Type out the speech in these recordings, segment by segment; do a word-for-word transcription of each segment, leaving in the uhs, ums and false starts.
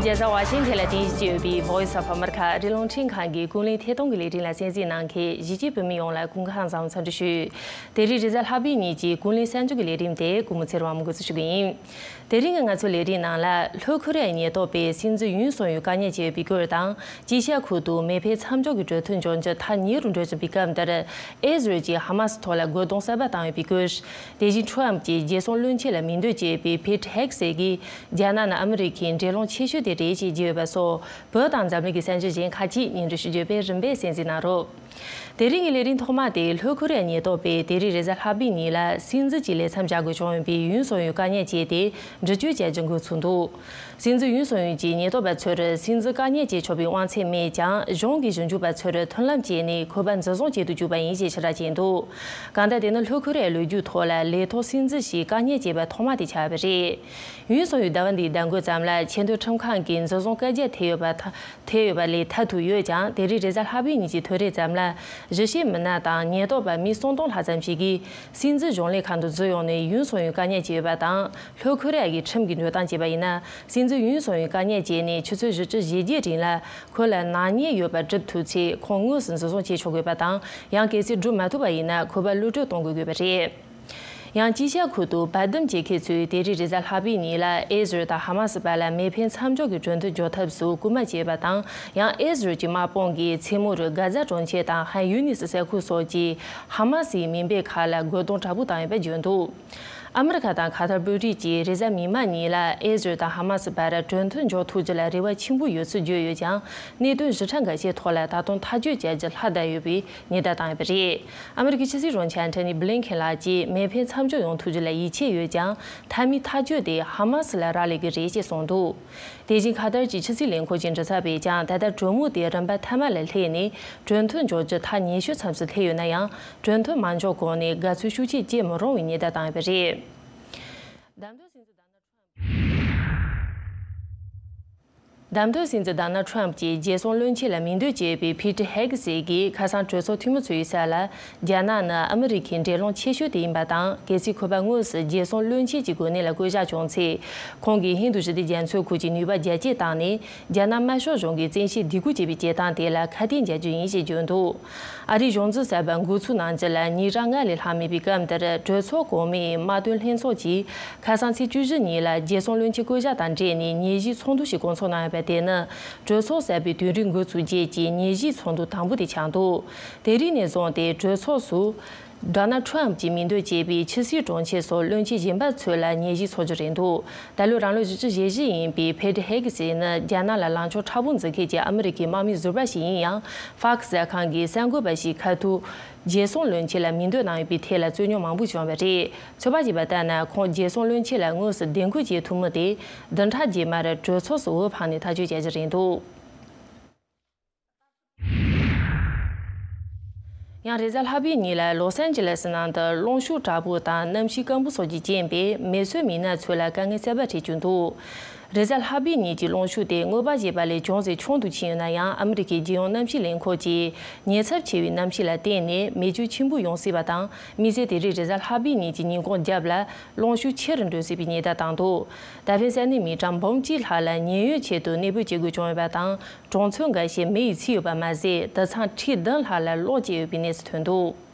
རྒྱལ་ས་ཝ་ཤིང་ཐན་ལ་རྟེན་གཞི་བྱས་ཡོད་པའི་Voice of America ཨ་རིའི་རླུང་འཕྲིན་ཁང་གི་ཀུན་གླེང་ཐད་གཏོང་གི་ལས་རིམ་ལ་གསན་གཟིགས་གནང་མཁན་གཞིས་བྱེས་བོད་མི་ཡོངས་ལ་སྐུ་ཁམས་བཟང་འཚམས་འདྲི་ཞུ། དེ་རིང་རེས་གཟའ་ལྷག་པའི་ཉིན་གྱི་ཀུན་གླེང་གསར་འགྱུར་གྱི་ལས་རིམ་དེ་གུས་མོ་ཚེ་རིང་དབང་མོ་འགོ་འཛུགས་ཞུ་གི་ཡིན། དེ་རིང་གི་ང་ཚོའི་ལས་རིམ་ནང་ལ། ལྷོ་ཁོ་རེ་ཡའི་ཉེན་རྟོག་པས་སྲིད་འཛིན་ཡུན་སུང་ཡུལ་དཀའ་ཉེན་བྱས་ཡོད་པའི་སྐོར་དང་། ཅི་ཤ་ཁུལ་དུ་མེ་འཕེན་མཚམས་འཇོག་གི་གྲོས་མཐུན་འཇོག་རྒྱུ་ཐག་ཉེ་རུ་འགྲོ་བཞིན་པའི་སྐབས་འདིར། ཨེ་ཟི་རལ་གྱིས་ཧ་མ་སི་ཐོག་ལ་རྒོལ་རྡུང་གསར་པ་བཏང་ཡོད་པའི་སྐོར། དེ་བཞིན་ཁྲོམ་གྱིས་རྒྱལ་སྲུང་བློན་ཆེན་ལ་མིང་འདོན་བྱས་པའི་ཕེ་ཊི་ཧེག་སི་གིས། རྒྱ་ནག་ནི་ཨ་མི་རི་ཁའི་འབྲེལ་ལམ་ཆེ་ཤོས་དེ་རེད་ཅེས་བརྗོད་ཡོད་པ་སོགས། བོད་དང་འཛམ་གླིང་གི་གསར་འགྱུར་གཞན་ཁག་ཅིག་སྙན་སྒྲོན་ཞུ་རྒྱུ་བས་རིམ་པས་གསན་གཟིགས་གནང་རོགས། དེ་རིང་གི་ལས་རིམ་ཐོག་མ་དེ་ལྷོ་ཁོ་རེ་ཡའི་ཉེན་རྟོག་པས་དེ་རིང་རེས་གཟའ་ལྷག་པའི་ཉིན་ལ་སྲིད་འཛིན་གྱི་ལས་མཚམས་བཞག་དགོས་བྱུང་ཡོད་པའི་ཡུན་སུང་ཡུལ་དཀའ་ཉེན་བྱས་ཏེ་འདྲི་གཅོད་བྱ་རྒྱུ་འགོ་ཚུགས་འདུག། སྲིད་འཛིན་ཡུན་སུང་ཡུལ་གྱིས་ཉེན་རྟོག་པ་ཚོར་སྲིད་འཛིན་དཀའ་ཉེན་བྱེད་ཆོག་པའི་དབང་ཚད་མེད་ཀྱང་། གཞུང་གི་ཞིབ་འཇུག་པ་ཚོར་མཐུན་ལམ་བྱས་ནས་ཁོ་པ་འཛིན་བཟུང་བྱེད་དུ་བཅུག་པ་ཡིན་ཞེས་ཕྱིར་བསྒྲགས་བྱས་འདུག། གང་ལྟར་དེ་ནི་ལྷོ་ཁོ་རེ་ཡའི་ལོ་རྒྱུས་ཐོག་ལ་ལས་ཐོག་སྲིད་འཛིན་ཞིག་དཀའ་ཉེན་བྱས་པ་ཐོག་མ་དེ་ཆགས་པ་རེད། ཡུན་སུང་ཡུལ་ཟླ་བ་འདིའི་ཟླ་འགོ་ཙམ་ལ་ཆེས་མཐོའི་ཁྲིམས་ཁང་གིས་འཛིན་བཟུང་བཀའ་རྒྱ་ཐེབས་ཡོད་པ་ཐ། ཐེབས་ཡོད་པ་ལས་ཐར་ཐུབ་ཡོད་ཀྱང་། དེ་རིང་རེས་གཟའ་ལྷག་པའི་ཉིན་གྱི་ཐོན་རེས་ཙམ་ལ་གཞིས་བྱེས་མི་སྣ་དང་ཉེན་རྟོག་པ་མི་སུམ་སྟོང་ལྷག་ཙམ་ཞིག་གིས་སྲིད་འཛིན་གཞུང་ལས་ཁང་དུ་འཛུལ་ཡོང་ནས་ཡུན་སུང་ཡུལ་དཀའ་ཉེན་བྱས་ཡོད་པ་དང་། ལྷོ་ཁོ་རེ་ཡ་གི་ཁྲིམས་ཀྱི་འགྲོ་སྟངས་བྱས་པ་ཡིན་ན། སྲིད་འཛིན་ཡུན་སུང་ཡུལ་དཀའ་ཉེན་བྱས་ནས་ཆུ་ཚོད་བཞི་བཅུ་ཞེ་བརྒྱད་རིང་ལ་ཁོ་ལ་ནག་ཉེས་ཡོད་པ་གྲུབ་ཐུབ་ཚེ། ཁོང་དངོས་སུ་འཛིན་བཟུང་བྱེད་ཆོག་དགོས་པ་དང་། ཡང་གལ་སྲིད་སྒྲུབ་མ་ཐུབ་པ་ཡིན་ན་ཁོ་པ་གློད་གྲོལ་གཏོང་དགོས་དགོས་པ་རེད། ཡང་ཅི་ཤ་ཁུལ་དུ་དཔའ་སྡོམ་བྱེད་མཁན་ཚོས་དེ་རིང་རེས་གཟའ་ལྷག་པའི་ཉིན་ལ་ཨེ་ཟི་རལ་དང་ཧ་མ་སི་བར་ལ་མེ་འཕེན་མཚམས་འཇོག་གི་གྲོས་མཐུན་འཇོག་ཐབས་སུ་སྐུལ་མ་བྱས་པ་དང་། ཡང་ཨེ་ཟི་རལ་གྱི་དམག་དཔུང་གིས་མཚན་མོར་གྷ་ཛ་གྲོང་ཁྱེར་དང་ཧན་ཡུ་ནི་སི་ས་ཁུལ་སོགས་ཀྱི་ཧ་མ་སིའི་མེ་འཕེན་ཁག་ལ་རྒོལ་རྡུང་དྲག་པོ་བཏང་ཡོད་པ་བརྗོད་འདུག། ཨ་མི་རི་ཁ་དང་ཁ་ཐར་དཔོན་རིགས་ཀྱིས་རེས་གཟའ་མིག་དམར་ཉིན་ལ་ཨེ་ཟི་རལ་དང་ཧ་མ་སི་བར་གྲོས་མཐུན་འཇོག་ཐུབ་རྒྱུ་ལ་རེ་བ་ཆེན་པོ་ཡོད་ཚུལ་བརྗོད་ཡོད་ཀྱང་། གནད་དོན་ཞིབ་ཕྲ་འགའ་ཤས་ཐོག་ལ་ད་དུང་ཐག་གཅོད་བྱ་རྒྱུ་ལྷག་བསྡད་ཡོད་པའི་ཉེན་བརྡ་བཏང་ཡོད་པ་རེད། ཨ་མི་རི་ཀའི་ཕྱི་སྲིད་དྲུང་ཆེ་ཨན་ཐོ་ནི་བྷི་ལིན་ཁེན་ལགས་ཀྱིས་མེ་འཕེན་མཚམས་འཇོག་ཡོང་ཐུབ་རྒྱུ་ལ་ཡིད་ཆེས་ཡོད་ཀྱང་། མཐའ་མའི་ཐག་གཅོད་དེ་ཧ་མ་སི་ལ་རག་ལས་ཀྱི་རེད་ཅེས་གསུངས་འདུག། དེ་བཞིན་ཁ་ཐར་གྱི་ཕྱི་སྲིད་ལས་ཁུངས་ཀྱི་མགྲིན་ཚབ་པས་ཀྱང་། ད་ལྟ་གྲོས་མོལ་དེ་རིམ་པ་མཐའ་མ་ལ་སླེབས་ནས་གྲོས་མཐུན་འཇོག་རྒྱུ་ཐག་ཉེ་ཤོས་མཚམས་སུ་སླེབས་ཡོད་ན་ཡང་། གྲོས་མཐུན་མ་འཇོག་གོང་ནས་དགའ་ཚོར་ཤུགས་ཆེ་སྐྱེ་མི་རུང་བའི་ཉེན་བརྡ་བཏང་ཡོད་པ་རེད། བདམས་ཐོན་སྲིད་འཛིན་ཌོ་ནལ་ཁྲམ། བདམས་ཐོན་སྲིད་འཛིན་ཌོ་ནལ་ཁྲམ་གྱིས་རྒྱལ་སྲུང་བློན་ཆེན་ལ་མིང་འདོན་བྱས་པའི་ཕི་ཊི་ཧེག་སི་གིས་ཁ་སང་གྲོས་ཚོགས་འཐུས་མི་ཚོ་ཡི་ས་ལ། རྒྱ་ནག་ནི་ཨ་མི་རི་ཁའི་འབྲེལ་ལམ་ཆེ་ཤོས་དེ་ཡིན་པ་དང་། གལ་སྲིད་ཁོ་པ་དངོས་སུ་རྒྱལ་སྲུང་བློན་ཆེན་གྱི་གོ་གནས་ལ་བསྐོ་གཞག་བྱུང་ཚེ། ཁོང་གིས་ཧིན་རྡུ་ཞི་བདེ་རྒྱ་མཚོའི་ཁུལ་གྱི་ནུས་པ་རྒྱ་སྐྱེད་བཏང་ནས། རྒྱ་ནག་དམར་ཤོག་གཞུང་གི་བཙན་ཤེད་སྡིགས་སྐུལ་བྱེད་པའི་བྱེད་སྟངས་དེ་ལ་ཁ་གཏད་འཇལ་རྒྱུ་ཡིན་ཞེས་བརྗོད་འདུག། ཨ་རིའི་གཞུང་འཛིན་གསར་པ་འགོ་ཚུགས་གནང་རྒྱུ་ལ་ཉིན་གྲངས་ལྔ་ལས་ལྷག་མེད་པའི་སྐབས་འདིར། གྲོས་ཚོགས་གོང་མའི་དམག་དོན་ལྷན་ཚོགས་ཀྱིས་ཁ་སང་ཚེས་བཅུ་བཞི་ཉིན་ལ་རྒྱལ་སྲུང་བློན་ཆེན་བསྐོ་གཞག་དང་འབྲེལ་ནས་ཉིན་བཞིའི་ཚོགས་འདུ་ཞིག་སྐོང་ཚོགས་གནང་ཡོད་པ་དེ་ནི། གྲོས་ཚོགས་གསར་པའི་དུས་རིམ་འགོ་ཚུགས་རྗེས་ཀྱི་ཉིན་བཞིའི་ཚོགས་འདུ་དང་པོ་དེ་ཆགས་འདུག། དེ་རིང་ནས་བཟུང་སྟེ་གྲོས་ཚོགས་སུ། ཌོ་ནལ་ཁྲམ་གྱིས་མིང་འདོན་བྱས་པའི་ཕྱི་སྲིད་དྲུང་ཆེ་སོགས་བློན་ཆེན་གཞན་པ་ཚོ་ལ་ཉིན་བཞིའི་ཚོགས་རྒྱུ་རེད་འདུག། ད་ལོའི་རང་ལོ་བཞི་བཅུ་ཞེ་བཞི་ཡིན་པའི་ཕེ་ཊི་ཧེ་གི་སི་ནི་རྒྱ་ནག་ལ་ལངས་ཕྱོགས་མཁྲེགས་པོ་འཛིན་མཁན་གྱི་ཨ་མི་རི་ཀའི་དམག་མི་ཟུར་པ་ཞིག་ཡིན་ཡང་། ཧྥག་གསར་ཁང་གིས་གསར་འགོད་པ་ཞིག་ཁ་ཐུག་རྒྱལ་སྲུང་བློན་ཆེན་ལ་མིང་འདོན་གནང་ཡོད་པའི་ཐད་ལ་རྩོད་རྙོག་མང་པོ་བྱུང་བ་རེད། ཚོད་དཔག་བྱས་པ་ལྟར་ན། ཁོང་རྒྱལ་སྲུང་བློན་ཆེན་ལ་དངོས་སུ་འདེམས་བསྐོ་བྱེད་ཐུབ་མིན་དེ། བདུན་ཕྲག་རྗེས་མར་གྲོས་ཚོགས་སུ་འོས་འཕངས་ནས་ཐག་གཅོད་བྱ་རྒྱུ་རེད་འདུག། ཡང་རེས་གཟའ་ལྷག་པའི་ཉིན་ལ་ལོས་ཨན་ཇི་ལེས་ནང་དུ་གློག་ཤུགས་དྲག་པོ་དང་གནམ་གཤིས་སྐམ་པོ་སོགས་ཀྱི་རྐྱེན་པས་མེ་གསོད་མི་སྣ་ཚོ་ལ་དཀའ་ངལ་གསར་པ་འཕྲད་བཅུག་འདུག། རེས་གཟའ་ལྷག་པའི་ཉིན་གྱི་གློག་ཤུགས་དེ་དངོས་པོ་བྱས་པ་ལས་ཅུང་ཟད་ཆུང་དུ་ཕྱིན་ཡོད་ན་ཡང་། ཨ་མི་རི་ཀའི་རྒྱལ་ཡོངས་གནམ་གཤིས་ལས་ཁུངས་ཀྱིས་ཉེན་ཚབས་ཆེ་བའི་གནམ་གཤིས་ལ་བརྟེན་ནས་མེ་སྐྱོན་ཆེན་པོ་ཡོང་སྲིད་པ་དང་། དམིགས་བསལ་དེ་རིང་རེས་གཟའ་ལྷག་པའི་ཉིན་གྱི་ཉིན་གུང་རྒྱབ་ལ་གློག་ཤུགས་ཆེ་རུ་འགྲོ་སྲིད་པའི་ཉེན་བརྡ་བཏང་འདུག། ད་ཕན་ས་གནས་མི་གྲངས་འབུམ་གཅིག་ལྷག་ལ་ཉེན་གཡོལ་ཆེད་དུ་གནས་སྤོས་བྱེད་དགོས་བྱུང་ཡོད་པ་དང་། གྲོང་ཚོ་འགའ་ཤས་མེ་ཡིས་ཚིག་ཡོད་པ་མ་ཟད། དུད་ཚང་ཁྲི་བདུན་ལྷག་ལ་གློག་བཅད་ཡོད་པའི་གནས་ཚུལ་ཐོན་འདུག།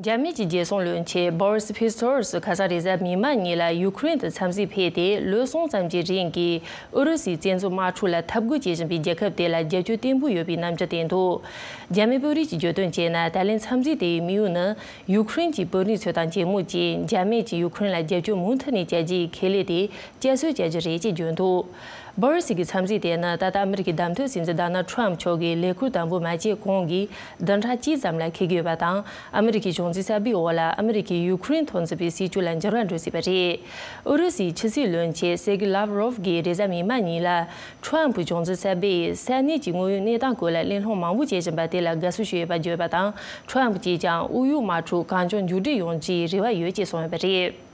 རྒྱ་མི་གྱི་རྒྱལ་སྲུང་བློན་ཆེན་བྷོ་རིས་ཕི་སི་ཊོ་རིས་ཁ་སང་རེས་གཟའ་མིག་དམར་ཉིན་ལ་ཡུ་ཁུ་རེན་དུ་འཚམས་གཟིགས་ཕེབས་ཏེ། ལོ་གསུམ་ཙམ་གྱི་རིང་གི་ཨུ་རུ་སུའི་བཙན་འཛུལ་དམག་འཁྲུག་ལ་འཐབ་རྒོལ་བྱེད་བཞིན་པའི་རྒྱལ་ཁབ་དེ་ལ་རྒྱབ་སྐྱོར་བརྟན་པོ་ཡོད་པའི་རྣམ་འགྱུར་བསྟན་འདུག། རྒྱ་མི་དཔོན་རིགས་ཀྱིས་བརྗོད་དོན་བྱས་ན། ད་ལན་འཚམས་གཟིགས་དེའི་དམིགས་ཡུལ་ནི། ཡུ་ཁུ་རེན་གྱི་དཔོན་རིགས་ཚོ་དང་མཇལ་མོ་བྱས། རྒྱ་མི་གྱིས་ཡུ་ཁུ་རེན་ལ་རྒྱབ་སྐྱོར་མུ་མཐུད་ནས་བྱ་རྒྱུའི་ཁེ་ལས་དེ་བསྐྱར་གསོ་བྱ་རྒྱུ་རེད་ཅེས་བརྗོད་འདུག། བྷོ་རི་སི་གི་འཚམས་གཟིགས་དེ་ནི་ད་ལྟ་ཨ་མི་རི་ཀའི་བདམས་ཐོན་སྲིད་འཛིན་ཌོ་ནལ་ཁྲམ་མཆོག་གིས་ལས་ཁུར་དང་པོ་མ་བྱས་གོང་གི་བདུན་ཕྲག་གཅིག་ཙམ་ལ་འཁེལ་གྱི་ཡོད་པ་དང་། ཨ་མི་རི་ཀའི་གཞུང་འཛིན་གསར་པའི་འོག་ལ་ཨ་མི་རི་ཀས་ཡུ་ཁུ་རེན་ཐོག་འཛིན་པའི་སྲིད་བྱུས་ལ་འགྱུར་བ་འགྲོ་སྲིད་པ་རེད། ཨུ་རུ་སུའི་ཕྱི་སྲིད་བློན་ཆེན་སེར་གི་ལབ་རོབ་གིས་རེས་གཟའ་མིག་དམར་ཉིན་ལ། ཁྲམ་གྱི་གཞུང་འཛིན་གསར་པས་ས་གནས་ཀྱི་དངོས་ཡོད་གནས་སྟངས་སྐོར་ལ་གླེང་སློང་མང་པོ་བྱེད་བཞིན་པ་དེ་ལ་དགའ་བསུ་ཞུས་ཡོད་པ་བརྗོད་པ་དང་། ཁྲམ་གྱིས་ཀྱང་དབུས་གཡོག་དམག་འཁྲུག་གང་མགྱོགས་མཇུག་སྒྲིལ་ཡོང་རྒྱུའི་རེ་བ་ཡོད་ཅེས་གསུངས་ཡོད་པ་རེད།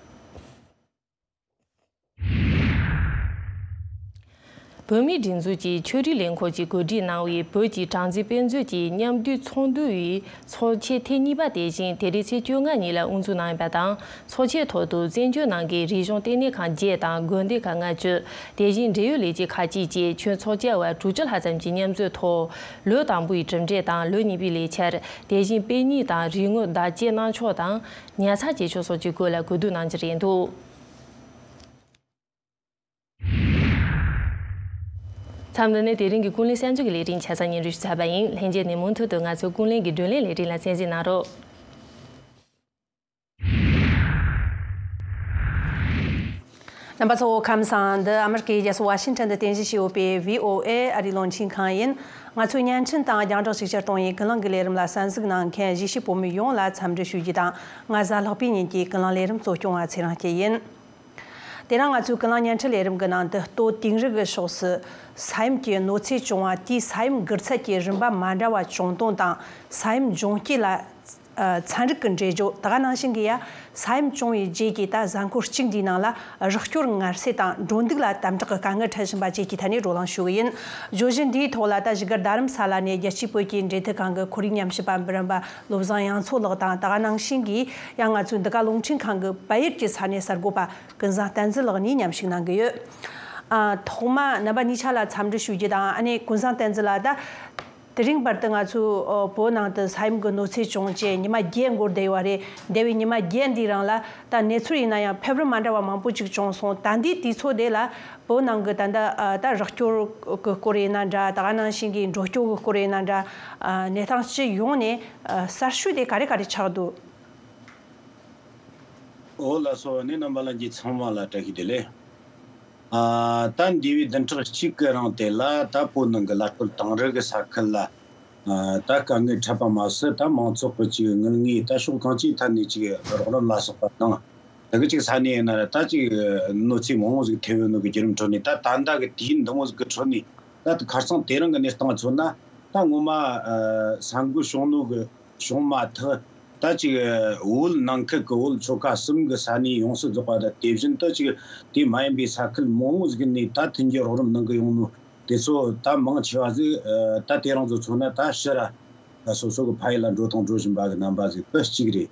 བོད་མིའི་སྒྲིག་འཛུགས་ཀྱི་ཆོས་རིག་ལས་ཁུངས་ཀྱིས་གོ་སྒྲིག་གནང་བའི་བོད་ཀྱི་གྲངས་འཛིན་དཔེ་མཛོད་ཀྱི་མཉམ་འདུས་ཚོགས་འདུ་ཡི་ཚོགས་ཆེན་ཐེངས་གཉིས་པ་དེ་བཞིན་དེ་རིང་ཚེས་བཅོ་ལྔ་ཉིན་ལ་དབུ་འཛུགས་གནང་ཡོད་པ་དང་། ཚོགས་ཆེན་ཐོག་ཏུ་བཙན་བྱོལ་ནང་གི་རིག་གཞུང་ལྟེ་གནས་ཁང་བརྒྱད་དང་དགོན་སྡེ་ཁག་ལྔ་བཅུ། དེ་བཞིན་འབྲེལ་ཡོད་ལས་བྱེད་ཁག་ཅིག་བཅས་ཁྱོན་ཚོགས་བཅར་བ་དྲུག་ཅུ་ལྷག་ཙམ་གྱི་མཉམ་འཛོམས་ཐོག་ལོ་དང་པོའི་གྲུབ་འབྲས་དང་ལོ་གཉིས་པའི་ལས་འཆར། དེ་བཞིན་དཔེ་རྙིང་དང་རིག་དངོས་བདག་གཅེས་གནང་ཕྱོགས་དང་ཉར་ཚགས་བྱེད་ཕྱོགས་སོགས་ཀྱི་སྐོར་ལ་གོ་བསྡུར་གནང་རྒྱུ་རེད་འདུག་མཚམས་འདི་ནས་དེ་རིང་གི་ཀུན་གླེང་གསར་འགྱུར་གྱི་ལས་རིམ་ཆ་ཚང་སྙན་སྒྲོན་ཞུ་ཚར་བ་ཡིན། ལྷན་རྒྱས་ནས་མུ་མཐུད་དུ་ང་ཚོའི་ཀུན་གླེང་གི་བགྲོ་གླེང་ལས་རིམ་ལ་གསན་གཟིགས་གནང་རོགས། རྣམ་པ་ཚོ་ཁམས་བཟང་། འདི་ཨ་མི་རི་ཀའི་རྒྱལ་ས་ཝ་ཤིང་ཊོན་དུ་རྟེན་གཞི་བྱས་ཡོད་པའི་བྷི་ཨོ་ཨེ་ཨ་རིའི་རླུང་འཕྲིན་ཁང་ཡིན། ང་ཚོའི་བརྙན་འཕྲིན་དང་རྒྱང་བསྒྲགས་ཤུགས་ཆེར་གཏོང་བའི་ཀུན་གླེང་གི་ལས་རིམ་ལ་གསན་གཟིགས་གནང་མཁན་གཞིས་བྱེས་བོད་མི་ཡོངས་ལ་འཚམས་འདྲི་ཞུ་རྒྱུ་དང་། ང་གཟའ་ལྷག་པའི་ཉིན་གྱི་ཀུན་གླེང་ལས་རིམ་གཙོ་སྐྱོང་བ་ཚེ་རིང་སྐྱིད་ཡིན། དེ་རིང་ང་ཚོའི་ཀུན་གླེང་བརྙན་འཕྲིན་ལས་རིམ་གྱི་ནང་དུ་ལྟོ་དིང་རི་གི་ཕྱོགས་སུ་ས་ཡོམ་གྱི་གནོད་འཚེ་བྱུང་བ་དེའི་ས་ཡོམ་འགུལ་ཚད་ཀྱི་རིམ་པ་མ་འདྲ་བ་བྱུང་དོན་དང་། ས་ཡོམ་འབྱུང་རྐྱེན་ལ་ཨ་ཚན་རིག་གི་འགྲེལ་བརྗོད། ད་ག་ནང་བཞིན་གྱི་ཡ་ས་ཡོམ་བྱུང་བའི་རྗེས་ཀྱི་ད་གཟའ་འཁོར་གཅིག་འདིའི་ནང་ལ་རོགས་སྐྱོར་ངལ་གསོ་དང་འགྲོ་འདུག་ལ་དམ་དྲག་གི་དཀའ་ངལ་འཕྲད་བཞིན་པ་བཅས་ཀྱི་ཐད་ནས་བགྲོ་གླེང་ཞུ་གི་ཡིན། བརྗོད་གཞི་འདིའི་ཐོག་ལ་ད་བཞུགས་སྒར་རྡ་རམ་ས་ལ་ནས་རྒྱལ་སྤྱིའི་བོད་ཀྱི་འབྲེལ་མཐུད་ཁང་གི་ཁོར་ཡུག་ཉམས་ཞིབ་པ་འབུམ་རམས་པ་བློ་བཟང་དབྱངས་མཚོ་ལགས་དང་། ད་ག་ནང་བཞིན་གྱི་ཡང་ང་ཚོའི་འདི་ག་རླུང་འཕྲིན་ཁང་གི་བལ་ཡུལ་གྱི་ས་གནས་གསར་འགོད་པ་ཀུན་བཟང་བསྟན་འཛིན་ལགས་གཉིས་མཉམ་ཞུགས་གནང་གི་ཡོད། ཨ། ཐོག་མ་རྣམ་པ་གཉིས་ཆ་ལ་འཚམས་འདྲི་ཞུ་རྒྱུ་དང་། ཨ་ནི་ཀུན་བཟང་བསྟན་འཛིན་ལགས། ད་དེ་རིང་བར་དུ་ང་ཚོའི་ཨོ་བོད་ནང་དུ་ས་ཡོམ་གྱི་གནོད་འཚེ་བྱུང་རྗེས་ཉི་མ་བརྒྱད་འགོར་བསྡད་ཡོད་རེད། འདས་པའི་ཉི་མ་བརྒྱད་འདིའི་རིང་ལ་ད་གནས་ཚུལ་ཡིན་ན་ཡང་ཕེབས་རིམ་མ་འདྲ་བ་མང་པོ་ཅིག་བྱུང་སོང་། ད་ལྟའི་དུས་ཚོད་དེ་ལ་བོད་ནང་གི་ད་ལྟ་ཨ་ད་རོགས་སྐྱོར་གྱི་སྐོར་ཡིན་ན་འདྲ། ད་ག་ནང་བཞིན་གྱི་འགྲོ་སྐྱོད་ཀྱི་སྐོར་ཡིན་ན་འདྲ། ཨ་གནས་སྟངས་སྤྱི་ཡོངས་ནས་ཨ་གསར་ཤོས་དེ་ག་རེ་ག་རེ་ཆགས་འདུག་འོ་ལགས་སོ། ཨ་ནི་རྣམ་པ་ལྷན་རྒྱས་ཚང་མ་ལ་བཀྲ་ཤིས་བདེ་ལེགས། ཨ་ད་འདས་པའི་བདུན་ཕྲག་གཅིག་གི་རིང་དེ་ལ་ད་བོད་ནང་གི་ཀླད་ཀོར་དིང་རི་གི་ས་ཁུལ་ལ་ཨ་ད་དཀའ་ངལ་འཕྲད་པ་མ་ཟད། ད་མང་ཚོགས་ཀྱི་ཅིག་དངུལ་དངོས་ད་ཕྱོགས་གང་ཅིའི་ཐད་ནས་ཅིག་རོགས་རམ་ལ་སོགས་པ་དང་། དེ་གི་ཅིག་ས་གནས་ཡིན་ན་ར་ད་ཅིག་གནོད་འཚེ་མང་བོ་ཟིག་ཐེབས་ཡོད་ནོ་གི་བརྒྱུད་རིམ་ཁྲོད་ནས། ད་ད་ལྟ་གི་དུས་ཡུན་འདི་མོ་ཟིག་གི་ཁྲོད་ནས་ད་ཁ་སང་དེ་རིང་གི་གནས་སྟངས་མཚོན་ན། ད་ངོ་མ་ཨ་ས་འགུལ་བྱུང་ནོ་གི་བྱུང་མ་ཐག་ད་ཅིག་བོད་ནང་ཁུལ་གྱི་བོད་ཆོལ་ཁ་གསུམ་གྱི་ས་གནས་ཡོངས་སུ་རྫོགས་པ་དང་། དེ་བཞིན་དུ་ཅིག་དེ་མ་ཡིན་པའི་ས་ཁུལ་མང་བོ་ཟིག་ནས་ད་མཐུན་རྐྱེན་རོགས་རམ་གནང་གི་ཡོང་ནོ་དེ་ཚོ་ད་མང་ཆེ་བ་ཟིག་ཨ་ད་དེ་རིང་ཚོ་མཚོན་ན་ད་ཕྱིར་ར་སོ་སོ་གི་ཕ་ཡུལ་ལ་འགྲོ་དང་འགྲོ་བཞིན་པ་གི་རྣམ་པ་ཟིག་དེ་གཅིག་རེད།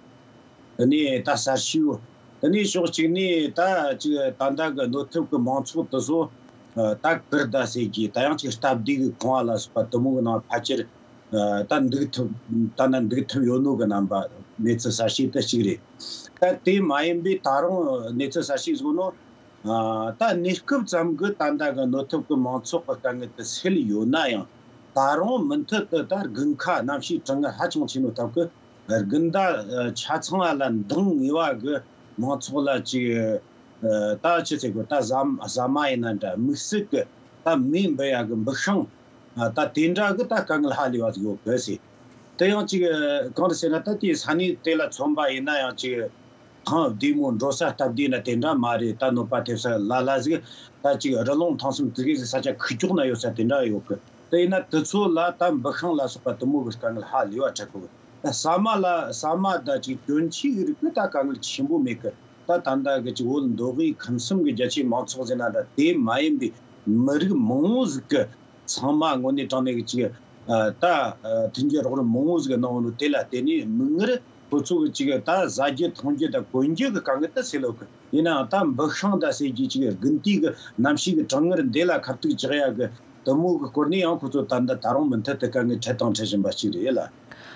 དེ་ནས་ད་གསར་ཤོས། དེ་ནས་ཕྱོགས་གཅིག་ནས་ད་ཅིག་ད་ལྟ་གི་གནོད་ཐེབས་གི་མང་ཚོགས་དེ་ཚོ་ཨ་ད་གུར་དང་ཟེར་གྱི་ད་ཡང་ཅིག་སྟབས་བདེ་གི་ཁང་བ་ལ་སོགས་པ་དེ་མོ་གི་ནང་ཕལ་ཆེར་ཨ་ད་འདུག་ཐུབ། ད་ནི་འདུག་ཐུབ་ཡོད་ནོ་གི་རྣམ་པ། གནས་ཚུལ་གསར་ཤོས་དེ་གཅིག་རེད། ད་དེ་མ་ཡིན་པའི་ད་རུང་གནས་ཚུལ་གསར་ཤོས་ཟིག་ནོ། ཨ་ད་གནས་སྐབས་ཙམ་གི་ད་ལྟ་གི་གནོད་ཐེབས་གི་མང་ཚོགས་གི་དཀའ་ངལ་དེ་སེལ་ཡོད་ན་ཡང་། ད་རུང་མུ་མཐུད་དུ་ད་དགུན་ཁ་གནམ་གཤིས་གྲང་ངར་ཧ་ཅང་ཆེ་ནོ་སྟབས་གི་དགུན་ཟླ་ཆ་ཚང་ལ་འདང་ངེས་པ་གི་མང་ཚོགས་ལ་ཅིག་ཨ་ད་ཅི་ཟེར་དགོས། ད་ཟ་ཟ་མ་ཡིན་ན་འདྲ། དམིགས་བསལ་གི་ད་མེ་འབུད་ཡ་གི་འབུད་ཤིང་། ཨ་ད་དེ་འདྲ་གི་ད་དཀའ་ངལ་ཧ་ལས་པ་ཟིག་ཡོད་གི་ཟེར། དེ་ཡང་ཅིག་གང་རེད་ཟེར་ན། ད་དེའི་ས་གནས་དེ་ལ་མཚོན་པ་ཡིན་ན་ཡང་ཅིག་ཐང་བདེ་མོ། འགྲོ་ས་སྟབས་བདེ་ན་དེ་འདྲ་མ་རེད། ད་གནོད་པ་ཐེབས་ས་ལ་ལ་ཟིག་ད་ཅིག་རི་ལུང་ཐང་གསུམ་དེ་གི་ཟིག་ས་ཆ་ཁུག་ཀྱོག་ན་ཡོད་ས་དེ་འདྲ་ཡོད་གི། དེ་ཡིན་ན་དེ་ཚོ་ལ་ད་འབུད་ཤིང་ལ་སོགས་པ་དེ་མོ་གི་དཀའ་ངལ་ཧ་ལས་པ་འཕྲད་གི། ད་ཟ་མ་ལ་ཟ་མ་ད་ཅིག་གྱོན་ཆས་གི་རིགས་གི་ད་དཀའ་ངལ་ཆེན་པོ་མེད་གི། ད་ད་ལྟ་གི་ཅིག་བོད་མདོ་དབུས་ཁམས་གསུམ་གི་རྒྱ་ཆེའི་མང་ཚོགས་ཟེར་ན་འདྲ། དེ་མ་ཡིན་པའི་མི་རིགས་མང་བོ་ཟིག་གི་ཚང་མ་དངོས་གནས་དྲང་གནས་ཀྱི་ཅིག་ཨ་ད་ཨ་མཐུན་རྐྱེན་རོགས་རམ་མང་བོ་ཟིག་གནང་ནོ་དེ་ལ་བརྟེན་ནས་མིག་སྔར་ཁོ་ཚོ་གི་ཅིག་ད་ཟ་རྒྱུ་འཐུང་རྒྱུ་དང་གོན་རྒྱུ་གི་དཀའ་ངལ་དེ་སེལ་ཡོད་གི། ཡིན་ནའང་ད་འབུད་ཤིང་ད་ཟེར་རྒྱུ་ཅིག་དགུན་དུས་ཀྱི་གནམ་གཤིས་ཀྱི་གྲང་ངར་འདི་ལ་ཁ་གཏུག་རྒྱག་ཡ་གི་དེ་མོ་གི་སྐོར་ནས་ཡང་ཁོ་ཚོ་ད་ལྟ་ད་རུང་མུ་མཐུད་དུ་དཀའ་ངལ་འཕྲད་དང་འཕྲད་བཞིན་པ་ཅིག་རེད་ལ།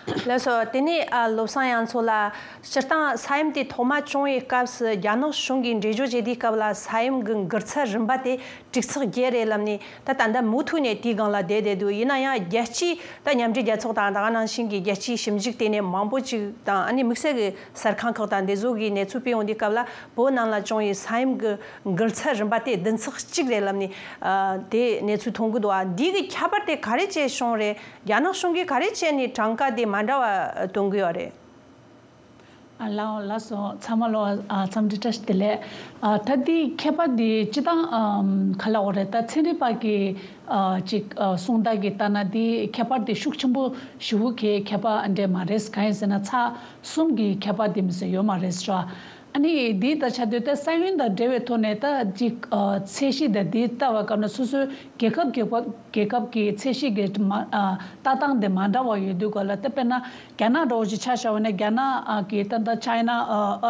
ལགས་སོ། དེ་ནས་ཨ་བློ་བཟང་དབྱངས་མཚོ་ལགས། སྤྱིར་བཏང་ས་ཡོམ་དེ་ཐོག་མ་བྱུང་བའི་སྐབས་སུ་རྒྱ་ནག་གཞུང་གིས་འགྲེལ་བརྗོད་བྱས་དུས་སྐབས་ལ་ས་ཡོམ་གྱི་འགུལ་ཚད་རིམ་པ་དེ་དྲུག་ཚེག་བརྒྱད་རེད་ལབ་ནས། ད་ད་ལྟ་མུ་མཐུད་ནས་དེའི་སྒང་ལ་བསྡད་བསྡད་འདུག། ཡིན་ན་ཡང་རྒྱལ་སྤྱིའི་ད་མཉམ་འབྲེལ་རྒྱལ་ཚོགས་དང་། ད་ག་ནང་བཞིན་གྱི་རྒྱལ་སྤྱིའི་ཞིབ་འཇུག་ལྟེ་གནས་མང་པོ་ཅིག་དང་། ཨ་ནི་དམིགས་བསལ་གྱི་གསར་ཁང་ཁག་དང་འདི་ཚོ་གིས་གནས་ཚུལ་སྤེལ་ཡོང་དུས་སྐབས་ལ། བོད་ནང་ལ་བྱུང་བའི་ས་ཡོམ་གྱི་འགུལ་ཚད་རིམ་པ་དེ་བདུན་ཚེག་གཅིག་རེད་ལབ་ནས། ཨ་དེ་གནས་ཚུལ་མཐོང་གི་འདུག། ཨ་འདི་གི་ཁྱད་པར་དེ་ག་རེ་བྱས་བྱུང་རེད། རྒྱ་ནག་གཞུང་གིས་ག་རེ་བྱས་ནས་གྲངས་ཀ་དེ་མ་འདྲ་བ་སྟོན་གི་ཡོད་རེད། ཨ་ལགས་ལགས་སོ། ཚང་མ་ལོ་ཨ་འཚམས་འདྲི་བཀྲ་ཤིས་བདེ་ལེགས། ཨ་ད་འདི་ཁྱད་པར་འདི་སྤྱིར་བཏང་ཨམ་ག་ལབ་དགོས་རེད། ད་ཚན་རིག་པ་གི་ཨ་ཅིག་ཨ་གསུང་སྟངས་ཀྱི་ལྟར་ན་འདི་ཁྱད་པར་འདི་ཤུགས་ཆེན་པོ་ཞེ་པོ་གི་ཁྱད་པར་འདྲ་མ་རེད། གང་ཡིན་ཟེར་ན་ཚེག་གསུམ་གྱི་ཁྱད་པར་འདི་མི་ཟེར་ཡོད་མ་རེད་ཟེར་བ། ཨ་ནི་འདི་ལྟ་ཆ་དུས་ད་ས་ཡོམ་དང་འབྲེལ་བའི་ཐོག་ནས་ད་ཅིག་ཨ་ཚད་གཞི་དང་འདི་ལྟ་བ་སྐབས་ན་སོ་སོའི་རྒྱལ་ཁབ་རྒྱལ་ཁབ་རྒྱལ་ཁབ་ཀྱི་ཚད་གཞི་གི་མ་ཨ་ལྟ་སྟངས་དེ་མ་འདྲ་བ་ཡོད་དུས་ག་ལ། ད་དཔེར་ན་རྒྱ་ནག་འདྲ་བོ་ཞིག་ཆ་བཞག་པ་ན་རྒྱ་ནག་ཨ་གི་ད་ད་China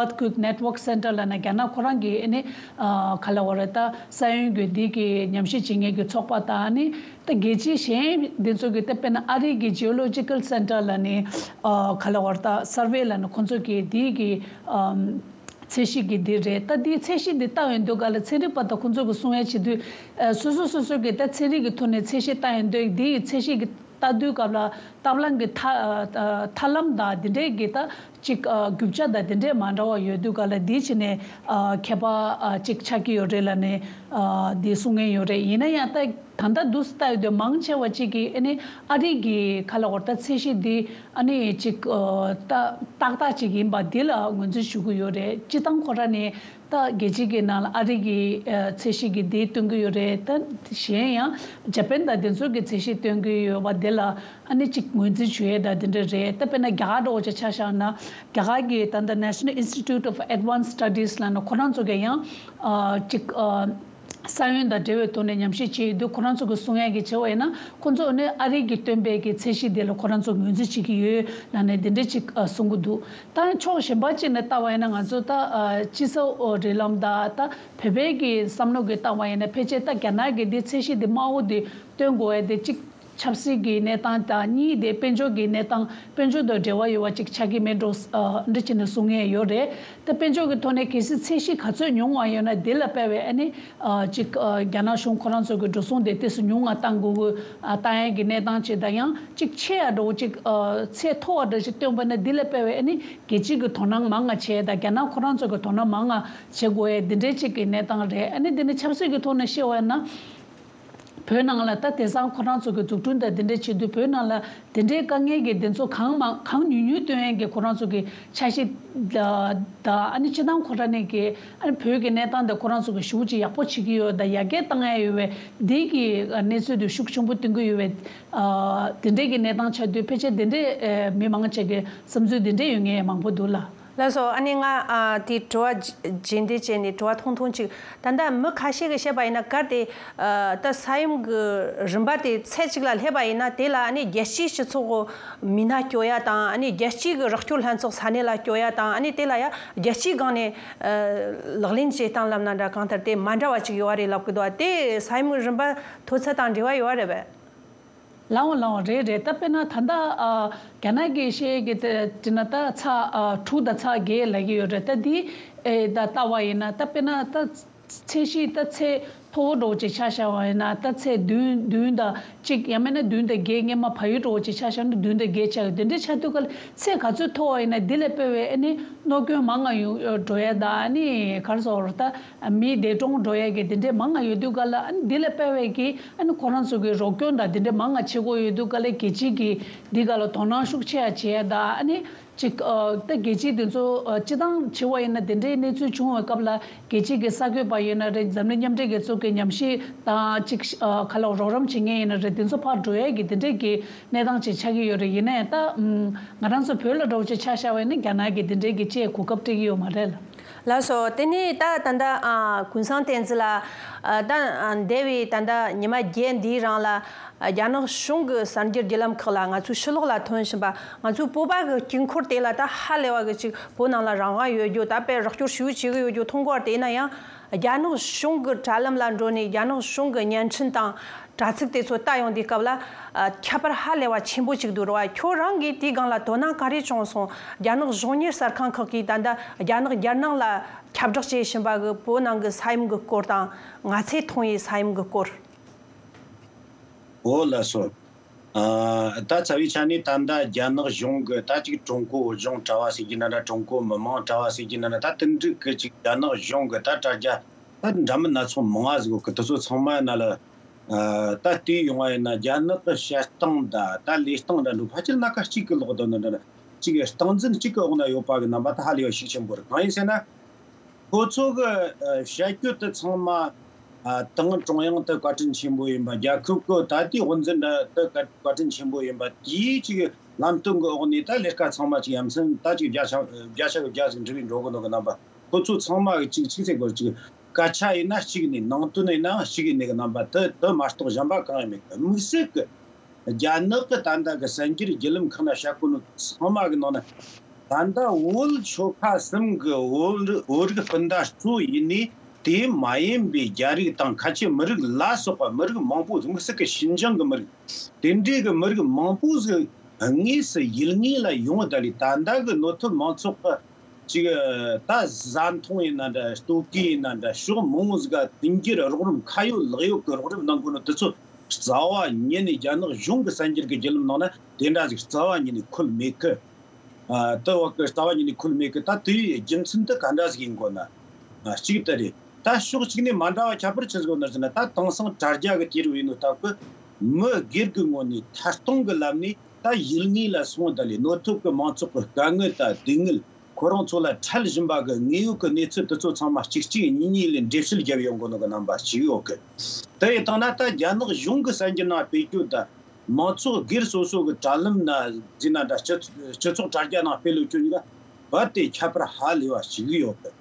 Earthquake Network Center ལབ་ན་རྒྱ་ནག་ཁོ་རང་གི་ཨ་ནི་ཨ་ག་ལ་བ་རེད། ད་ས་ཡོམ་གྱི་འདི་གི་ཉམས་ཞིབ་བྱེད་མཁན་གྱི་ཚོགས་པ་དང་ཨ་ནི། ད་རྒྱལ་སྤྱི་གཞན་འདི་ཚོ་གི་ད་དཔེར་ན་ཨ་རི་གི་Geological Center ལབ་ནི་ཨ་ག་ལ་བར་ད་Survey ལབ་ནི་ཁོང་ཚོ་གི་དེའི་གི་ཨམ་ཚད་གཞི་གི་འདི་རེད། ད་དེའི་ཚད་གཞི་འདི་ལྟ་ཡོང་དུས་ག་ལ་ཚན་རིག་པ་དང་ཁོང་ཚོ་གི་གསུང་ཡ་བྱེད་དུས་ཨ་སོ་སོ་སོ་སོ་གི་ད་ཚན་རིག་གི་ཐོག་ནས་ཚད་གཞི་ལྟ་ཡོང་དུས་དེའི་ཚད་གཞི་གི་ལྟ་དུས་སྐབས་ལ་ཐབས་ལམ་གི་ཐ་ཨ་ཐབས་ལམ་དང་དེ་འདྲའི་གི་ད་ཅིག་ཨ་རྒྱུ་ཆ་དང་དེ་འདྲས་མ་འདྲ་བ་ཡོད་དུས་ག་ལ་འདི་བྱས་ནས་ཨ་ཁྱད་པར་ཨ་ཅིག་ཆགས་ཀྱི་ཡོད་རེད་ལབ་ནས་ཨ་འདི་གསུང་མཁན་ཡོད་རེད། ཡིན་ན་ཡང་ད་ད་ལྟ་འདུག་སེ་ལྟ་ཡོད་དུས་མང་ཆེ་བ་ཅིག་གིས་ཨ་ནི་ཨ་རི་གི་ག་ལ་བར་ད་ཚད་གཞི་འདི་ཨ་ནི་ཅིག་ཨ་ད་ཏག་ཏག་ཅིག་ཡིན་པ་འདི་ལ་ངོས་འཛིན་ཞུ་གི་ཡོད་རེད། སྤྱི་བཏང་ཁོ་ར་ནས་ད་རྒྱལ་སྤྱི་གི་ནང་ལ་ཨ་རི་གི་ཨ་ཚད་གཞི་གི་འདི་སྟོན་གི་ཡོད་རེད། ད་གཞན་ཡང་ཇ་པན་དང་དེ་ཚོ་གི་ཚད་གཞི་སྟོན་གི་ཡོད་པ་འདི་ལ་ཨ་ནི་ཅིག་ངོས་འཛིན་ཞུ་ཡས་དང་དེ་འདྲ་རེད། ད་དཔེར་ན་རྒྱ་གར་འདྲ་བོ་ཅིག་ཆ་བཞག་ན་རྒྱ་གར་གི་ད་ལྟ་National Institute of Advanced Studies ལབ་ན་ཁོ་རང་ཚོ་གི་ཡང་ཨ་ཅིག་ཨ་ས་ཡོམ་དང་འབྲེལ་བའི་ཐོག་ནས་ཉམས་ཞིབ་བྱས་ཡོད་དུས་ཁོ་རང་ཚོ་གི་གསུང་ཡས་ཀྱི་བྱས་པ་ཡིན་ན་ཁོ་ཚོ་ནི་ཨ་རི་གི་སྟོན་པའི་གི་ཚད་གཞི་དེ་ལ་ཁོ་རང་ཚོ་ངོས་འཛིན་བྱེད་ཀྱི་ཡོད་ལབ་ནས་དེ་འདྲ་ཅིག་ཨ་གསུང་གི་འདུག་ད་ཕྱོགས་གཞན་པ་ཅིག་ནས་ལྟ་བ་ཡིན་ན་ང་ཚོ་ད་ཨ་སྤྱི་ཚོགས་རིགས་ལམ་དང་ད་བོད་པའི་གི་བསམ་བློ་གི་ལྟ་བ་ཡིན་ན་ཕལ་ཆེར་ད་རྒྱ་ནག་གི་འདི་ཚད་གཞི་འདི་དམའ་བོ་འདི་སྟོན་དགོས་ཡས་དེ་གཅིག་ཆབ་སྲིད་ཀྱི་གནས་སྟངས་དང་གཉིས་དེ་དཔལ་འབྱོར་གྱི་གནས་སྟངས་དཔལ་འབྱོར་དང་འབྲེལ་བ་ཡོད་པ་ཅིག་ཆགས་ཀྱི་མེད་འགྲོ་ཨ་འདྲ་བྱས་ནས་གསུང་མཁན་ཡོད་རེད། ད་དཔལ་འབྱོར་གྱི་ཐོག་ནས་གལ་སྲིད་ཚད་གཞི་ག་ཚོད་ཉུང་བ་ཡོད་ན་དེ་ལ་དཔག་པའི་ཨ་ནི་ཨ་ཅིག་ཨ་རྒྱ་ནག་གཞུང་ཁོ་རང་ཚོ་གི་འགྲོ་སོང་དེ་ཏོག་ཙམ་ཉུང་བ་བཏང་དགོས་དགོས་ཨ་བཏང་ཡས་ཀྱི་གནས་སྟངས་ཅིག་དང་ཡང་ཅིག་ཆེ་ཡ་འགྲོ་ཅིག་ཨ་ཚད་མཐོ་བ་འདྲ་ཞིག་བཏོན་པ་ན་དེ་ལ་དཔག་པའི་ཨ་ནི་རྒྱལ་སྤྱི་གི་དོ་སྣང་མང་ང་བྱས་དང་རྒྱ་ནག་ཁོ་རང་ཚོ་གི་དོ་སྣང་མང་ང་བྱེད་དགོས་ཡས་དེ་འདྲའི་ཅིག་གི་གནས་སྟངས་རེད། ཨ་ནི་དེ་ནི་ཆབ་སྲིད་ཀྱི་ཐོག་ནས་བཤད་པ་ཡིན་ན། བོད་ནང་ལ་ད་དེང་སང་ཁོ་རང་ཚོ་གི་འཛུགས་སྐྲུན་དང་དེ་འདྲའི་ཆེད་དུ་བོད་ནང་ལ་དེ་འདྲའི་དཀའ་ངལ་གྱི་དེ་ཚོ་གང་མང་གང་ཉུང་ཉུང་སྟོན་ཡས་ཀྱི་ཁོ་རང་ཚོ་གི་འཆར་གཞི་དང་ཨ་ནི་སྤྱི་བཏང་ཁོ་རང་ནས་ཀྱི་ཨ་ནི་བོད་ཀྱི་གནས་སྟངས་དེ་ཁོ་རང་ཚོ་གི་ཞེ་པོ་ཅིག་ཡག་པོ་བྱེད་ཀྱི་ཡོད་དང་ཡར་རྒྱས་བཏང་ཡས་ཡོད་པའི་འདི་གི་གནས་ཚུལ་དེ་ཤུགས་ཆེན་པོ་སྟོན་གྱི་ཡོད་པའི་དེ་འདྲའི་གི་གནས་སྟངས་ཆགས་དུས་ཕལ་ཆེར་དེ་འདྲའི་མི་མང་ཆེ་གི་བསམ་ཚུལ་དེ་འདྲའི་ཡོད་མཁན་མང་པོ་འདུག་ལ། ལགས་སོ། ཨ་ནི་ང་ཨ་དེའི་དྲི་བ་རྗེས་འདེད་བྱས་ནས་དྲི་བ་ཐུང་ཐུང་ཅིག་ད་ལྟ་མི་ཁ་ཤས་ཀྱིས་བཤད་པ་ཡིན་ན་གལ་ཏེ་ཨ་ད་ས་ཡོམ་གྱི་རིམ་པ་དེ་ཚད་ཅིག་ལ་སླེབས་པ་ཡིན་ན་དེ་ལ་ཨ་ནི་རྒྱལ་སྤྱིའི་སྤྱི་ཚོགས་མི་སྣ་སྐྱོད་ཡ་དང་ཨ་ནི་རྒྱལ་སྤྱིའི་གི་རོགས་སྐྱོར་ལྷན་ཚོགས་ས་གནས་ལ་སྐྱོད་ཡ་དང་ཨ་ནི་དེ་ལ་ཡ་རྒྱལ་སྤྱིའི་སྒང་ནས་ཨ་ལག་ལེན་བྱེད་སྟངས་ལབ་ན་འདྲ་གང་ལྟར་དེ་མ་འདྲ་བ་ཅིག་ཡོད་རེད་ལབ་གི་འདུག་དེ་ས་ཡོམ་གྱི་རིམ་པ་མཐོ་ཚད་དང་འབྲེལ་བ་ཡོད་རེད་པས། ལའང་ལའང་རེད་རེད། ད་དཔེར་ན་ད་ལྟ་ཨ་རྒྱ་ནག་གི་བཤད་ཀྱི་དེ་དེ་ན་ད་ཚ་ཨ་དྲུག་དང་ཚ་བརྒྱད་ལབ་ཀྱི་ཡོད་རེད། ད་འདི་ཨེ་ད་ལྟ་བ་ཡིན་ན་ད་དཔེར་ན་ད་ཚད་གཞི་ད་ཚད་མཐོ་བོ་འདྲ་བོ་ཅིག་ཆ་བཞག་པ་ཡིན་ན་ད་ཚད་བདུན་བདུན་དང་གཅིག་ཡང་མིན་ན་བདུན་དང་བརྒྱད་སྔོན་མ་བལ་ཡུལ་འདྲ་བོ་ཅིག་ཆ་བཞག་ན་བདུན་དང་བརྒྱད་ཆགས་ཡོད། དེ་འདྲའི་ཆགས་དུས་ག་ལ་ཚད་ག་ཚོད་མཐོ་བ་ཡིན་ན་འདི་ལས་དཔེ་བའི་ཨ་ནི་གནོད་སྐྱོན་མང་ང་ཡོང་འགྲོ་ཡ་ད་ཨ་ནི་ག་རེ་ཟེར་ད། མི་འདས་གྲོངས་འགྲོ་ཡས་ཀྱི་དེ་འདྲས་མང་ང་ཡོད་དུས་ག་ལ་ཨ་ནི་འདི་ལས་དཔེ་བའི་གི་ཨ་ནི་ཁོ་རང་ཚོ་གི་རོགས་སྐྱོར་དང་དེ་འདྲས་མང་ང་བྱེད་དགོས་ཡོད་དུས་ག་ལ་རྒྱལ་སྤྱི་གི་འདི་ག་ལ་དོ་སྣང་ཤུགས་ཆེ་ཡ་བྱེད་ཡ་ད་ཨ་ནི་ཅིག་ཨ་ད་རྒྱལ་སྤྱི་དེ་ཚོ་ཨ་སྤྱི་བཏང་བྱེད་པ་ཡིན་ན་དེ་འདྲའི་གནས་ཚུལ་བྱུང་བའི་སྐབས་ལ་རྒྱལ་སྤྱི་གི་གསར་འགོད་པ་ཡིན་ན་རེད། འཛམ་གླིང་མཉམ་འབྲེལ་རྒྱལ་ཚོགས་ཀྱི་ཉམས་ཞིབ་དང་ཅིག་ཨ་ག་ལ་རོགས་རམ་བྱེད་མཁན་ཡིན་ན་རེད། དེ་ཚོ་ཕར་འགྲོ་ཡས་ཀྱི་དེ་འདྲས་ཀྱི་གནས་སྟངས་ཅིག་ཆགས་ཀྱི་ཡོད་རེད། ཡིན་ན་ཡང་ད་ང་རང་ཚོ་བོད་ལ་འདྲ་བོ་ཅིག་ཆ་བཞག་པ་ཡིན་ན་རྒྱ་ནག་གི་དེ་འདྲས་ཀྱི་ཅིག་གོ་སྐབས་སྤྲད་ཀྱི་ཡོད་མ་རེད་ལ། ལགས་སོ། དེ་ནས་ད་ད་ལྟ་ཨ་ཀུན་བཟང་བསྟན་འཛིན་ལགས་ཨ་ད་ཨ་འདས་པའི་ད་ལྟ་ཉི་མ་བརྒྱད་འདིའི་རིང་ལ་ཨ་རྒྱ་ནག་གཞུང་གི་གསར་འགྱུར་བརྒྱུད་ལམ་ཁག་ལ་ང་ཚོའི་ཕྱི་ལོགས་ལ་ཐོན་བཞིན་པ་ང་ཚོའི་བོད་པ་གི་དཀྱིལ་འཁོར་དེ་ལ་ད་ཧ་ལས་པ་གི་ཅིག་བོད་ནང་ལ་རང་དབང་ཡོད་རྒྱུ་ད་དཔེ་རོགས་སྐྱོར་ཞུ་བྱེད་གི་ཡོད་རྒྱུ་མཐོང་གི་ཡོད་རེད། དེ་ཡིན་ན་ཡང་རྒྱ་ནག་གཞུང་གི་དྲ་ལམ་ལ་འགྲོ་ནས་རྒྱ་ནག་གཞུང་གི་བརྙན་འཕྲིན་དང་། དྲ་ཚིགས་དེ་ཚོ་ལྟ་ཡོང་དུས་སྐབས་ལ་ཨ་ཁྱད་པར་ཧ་ལས་པ་ཆེན་པོ་ཅིག་འདུག་རེད་བ། ཁྱོད་རང་གིས་དེའི་སྒང་ལ་དོ་སྣང་ག་རེ་བྱུང་སོང་། རྒྱ་ནག་གཞུང་གཉེར་གསར་ཁང་ཁག་གིས་ད་ལྟ་རྒྱ་ནག་རྒྱལ་ནང་ལ་ཁྱབ་བསྒྲགས་བྱེད་བཞིན་པ་གི་བོད་ནང་གི་ས་ཡོམ་གི་སྐོར་དང་ང་ཚོས་མཐོང་བའི་ས་ཡོམ་གི་སྐོར། འོ་ལགས་སོ། ཨ་ད་རྩ་བའི་ཆ་ནས་ད་ལྟ་རྒྱ་ནག་གཞུང་གི་ད་ཅིག་ཀྲུང་གོ་གཞུང་དྲ་བ་ཟེར་གྱི་ན་འདྲ། ཀྲུང་གོ་མི་དམངས་དྲ་བ་ཟེར་གྱི་ན་འདྲ། ད་དེ་འདྲ་གི་ཅིག་རྒྱ་ནག་གཞུང་གི་ད་དྲ་རྒྱ་ད་འདྲ་མིན་སྣ་ཚོགས་མང་ང་ཟིག་གི་དེ་ཚོ་ཚང་མ་ན་ལ། ཨ་ད་ལྟའི་ཡོང་བ་ཡིན་ན་རྒྱ་ནག་གི་བཤད་སྟངས་དང་ད་ལས་སྟངས་འདྲ་འདུག་ཕལ་ཆེར་སྣ་ཁ་གཅིག་གི་ལོག་དོན་འདྲ་འདྲ་གཅིག་གི་སྟངས་འཛིན་གཅིག་གི་འོག་ན་ཡོད་པ་གི་རྣམ་པ་ད་ཧ་ལས་པ་ཤུགས་ཆེན་པོ་རེད། གང་ཡིན་ཟེར་ན། ཁོ་ཚོ་གི་ཨ་བཤད་རྒྱུ་དེ་ཚང་མ་ཨ་ཏང་ཀྲུང་དབྱང་དེ་བཀའ་དྲིན་ཆེན་པོ་ཡིན་པ། རྒྱལ་ཁབ་ཀྱི་ད་ལྟའི་དབུ་འཛིན་འདྲ་དེ་བཀའ་བཀའ་དྲིན་ཆེན་པོ་ཡིན་པ། དེའི་གཅིག་ལམ་སྟོན་གི་འོག་ནས་ད་ལས་ཀ་ཚང་མ་གཅིག་ཡ་མཚན་ད་གཅིག་བརྒྱ་ཆ་བརྒྱ་ཆ་གི་བརྒྱ་ཟིག་འགྲུབ་པའི་འགྲོ་གི་འདུག་གི་རྣམ་པ། ཁོ་ཚོ་ཚང་མ་གི་གཅིག་གཅིག་ཚེ་སྐོར་གཅིག་སྐད་ཆ་ཡིན་ན་གཅིག་ནས། ནང་དོན་ཡིན་ནའང་གཅིག་ཡིན་ནས་གི་རྣམ་པ་དེ་དེ་མ་གཏོགས་གཞན་པ་གང་ཡང་མེད་གི། དམིགས་བསལ་གི་རྒྱ་ནག་གི་ད་ལྟ་གི་གསར་འགྱུར་བརྒྱུད་ལམ་ཁག་ན་བཤད་གོ་ནོ་ཚང་མ་གི་ནང་ན། ད་ལྟ་བོད་ཆོལ་ཁ་གསུམ་གི་བོད་རིགས་བོད་རིགས་སྤུན་ཟླ་ཚོ་ཡིན་ནས། དེ་མ་ཡིན་པའི་རྒྱ་རིགས་དང་ཁ་ཆེ་མི་རིགས་ལ་སོགས་པ་མི་རིགས་མང་པོ། དམིགས་བསལ་གི་ཞིན་ཅང་གི་མི་རིགས། དེ་འདྲའི་གི་མི་རིགས་མང་པོ་ཟིག་དངོས་སུ་ཡུལ་དངོས་ལ་ཡོང་ད་ལས། ད་ལྟ་གི་ནོར་ཐུབ་མང་ཚོགས་གི་ཅིག་ད་བཟའ་འཐུང་ཡིན་ན་འདྲ། ལྟོ་གོས་ཡིན་ན་འདྲ། ཕྱོགས་མང་བོ་ཟིག་ག་མཐུན་འགྱུར་རོགས་རམ། ཁ་ཡོད་ལག་ཡོད་གི་རོགས་རམ་གནང་དགོས་ནོ་དེ་ཚོ་རྩ་བ་ཉིད་ནས། རྒྱ་ནག་གཞུང་གི་གསར་འགྱུར་གི་བརྒྱུད་ལམ་ནང་ན་དེ་འདྲ་ཟིག་རྩ་བ་ཉིད་ནས་འཁོད་མེད་གི། ཨ། དེ་བ་གི་རྩ་བ་ཉིད་ནས་འཁོད་མེད་གི། ད་དེའི་རྒྱུ་མཚན་དེ་ག་འདྲ་ཟིག་ཡིན་དགོས་ན། ཨ། གཅིག་དེ་རེད། ད་ཕྱོགས་གཅིག་ནས་མ་འདྲ་བ་ཁྱད་པར་ཆི་ཟིག་ཡོད་ན་ཟེར་ན། ད་དེང་སང་དྲ་རྒྱ་གི་དུས་རབས་ཡིན་ནོ་སྟབས་གི། མི་སྒེར་གི་ངོས་ནས་ཐད་གཏོང་གི་ལམ་ནས་ད་ཡུལ་དངོས་ལ་སོང་ད་ལས། ནོར་ཐུབ་གི་མང་ཚོགས་གི་དཀའ་ངལ་དང་སྡུག་བསྔལ། ཁོ་རང་ཚོ་ལ་འཕྲད་བཞིན་པ་གི་དངོས་ཡོད་གི་གནས་ཚུལ་དེ་ཚོ་ཚང་མ་གཅིག་གཅིག་གཉིས་གཉིས་ལས་འགྲེལ་བཤད་བརྒྱབ་ཡོང་དགོས་ནོ་གི་རྣམ་པ་གཅིག་ཡོད་གི། དེ་ཡིན་དང་ན་ད་རྒྱ་ནག་གཞུང་གི་གསར་འགྱུར་ནང་སྤེལ་རྒྱུ་དང་། མང་ཚོགས་སྒེར་སོ་སོ་གི་དྲ་ལམ་ན་ཟེར་ན་འདྲ། སྤྱི་སྤྱི་ཚོགས་དྲ་རྒྱ་ནང་སྤེལ་ལོ་རྒྱུ་གཉིས་ཀ་རྦད་དེ་ཁྱད་པར་ཧ་ལས་པ་ཞིག་ཡོད་གི།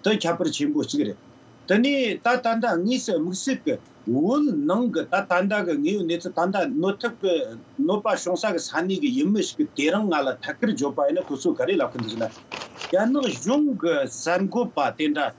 དེ་ཁྱད་པར་ཆེན་པོ་གཅིག་རེད། དེ་ནས་ད་ད་ལྟ་དངོས་སུ་དམིགས་བསལ་གི་བོད་ནང་གི་ད་ད་ལྟ་གི་དངོས་ཡོད་གནས་ཚུལ། ད་ལྟ་ནོར་ཐུབ་གི་ནོར་བ་བྱུང་ས་གི་ས་གནས་གི་ཡུལ་མི་ཞིག་གི་དེ་རིང་ང་ལ་ཐད་ཀར་བརྗོད་པ་ཡིན་ན། ཁོ་ཚོས་ག་རེ་ལབ་གི་འདུག་ཟེར་ན། རྒྱ་ནག་གཞུང་གི་གསར་འགོད་པ་དེ་འདྲ་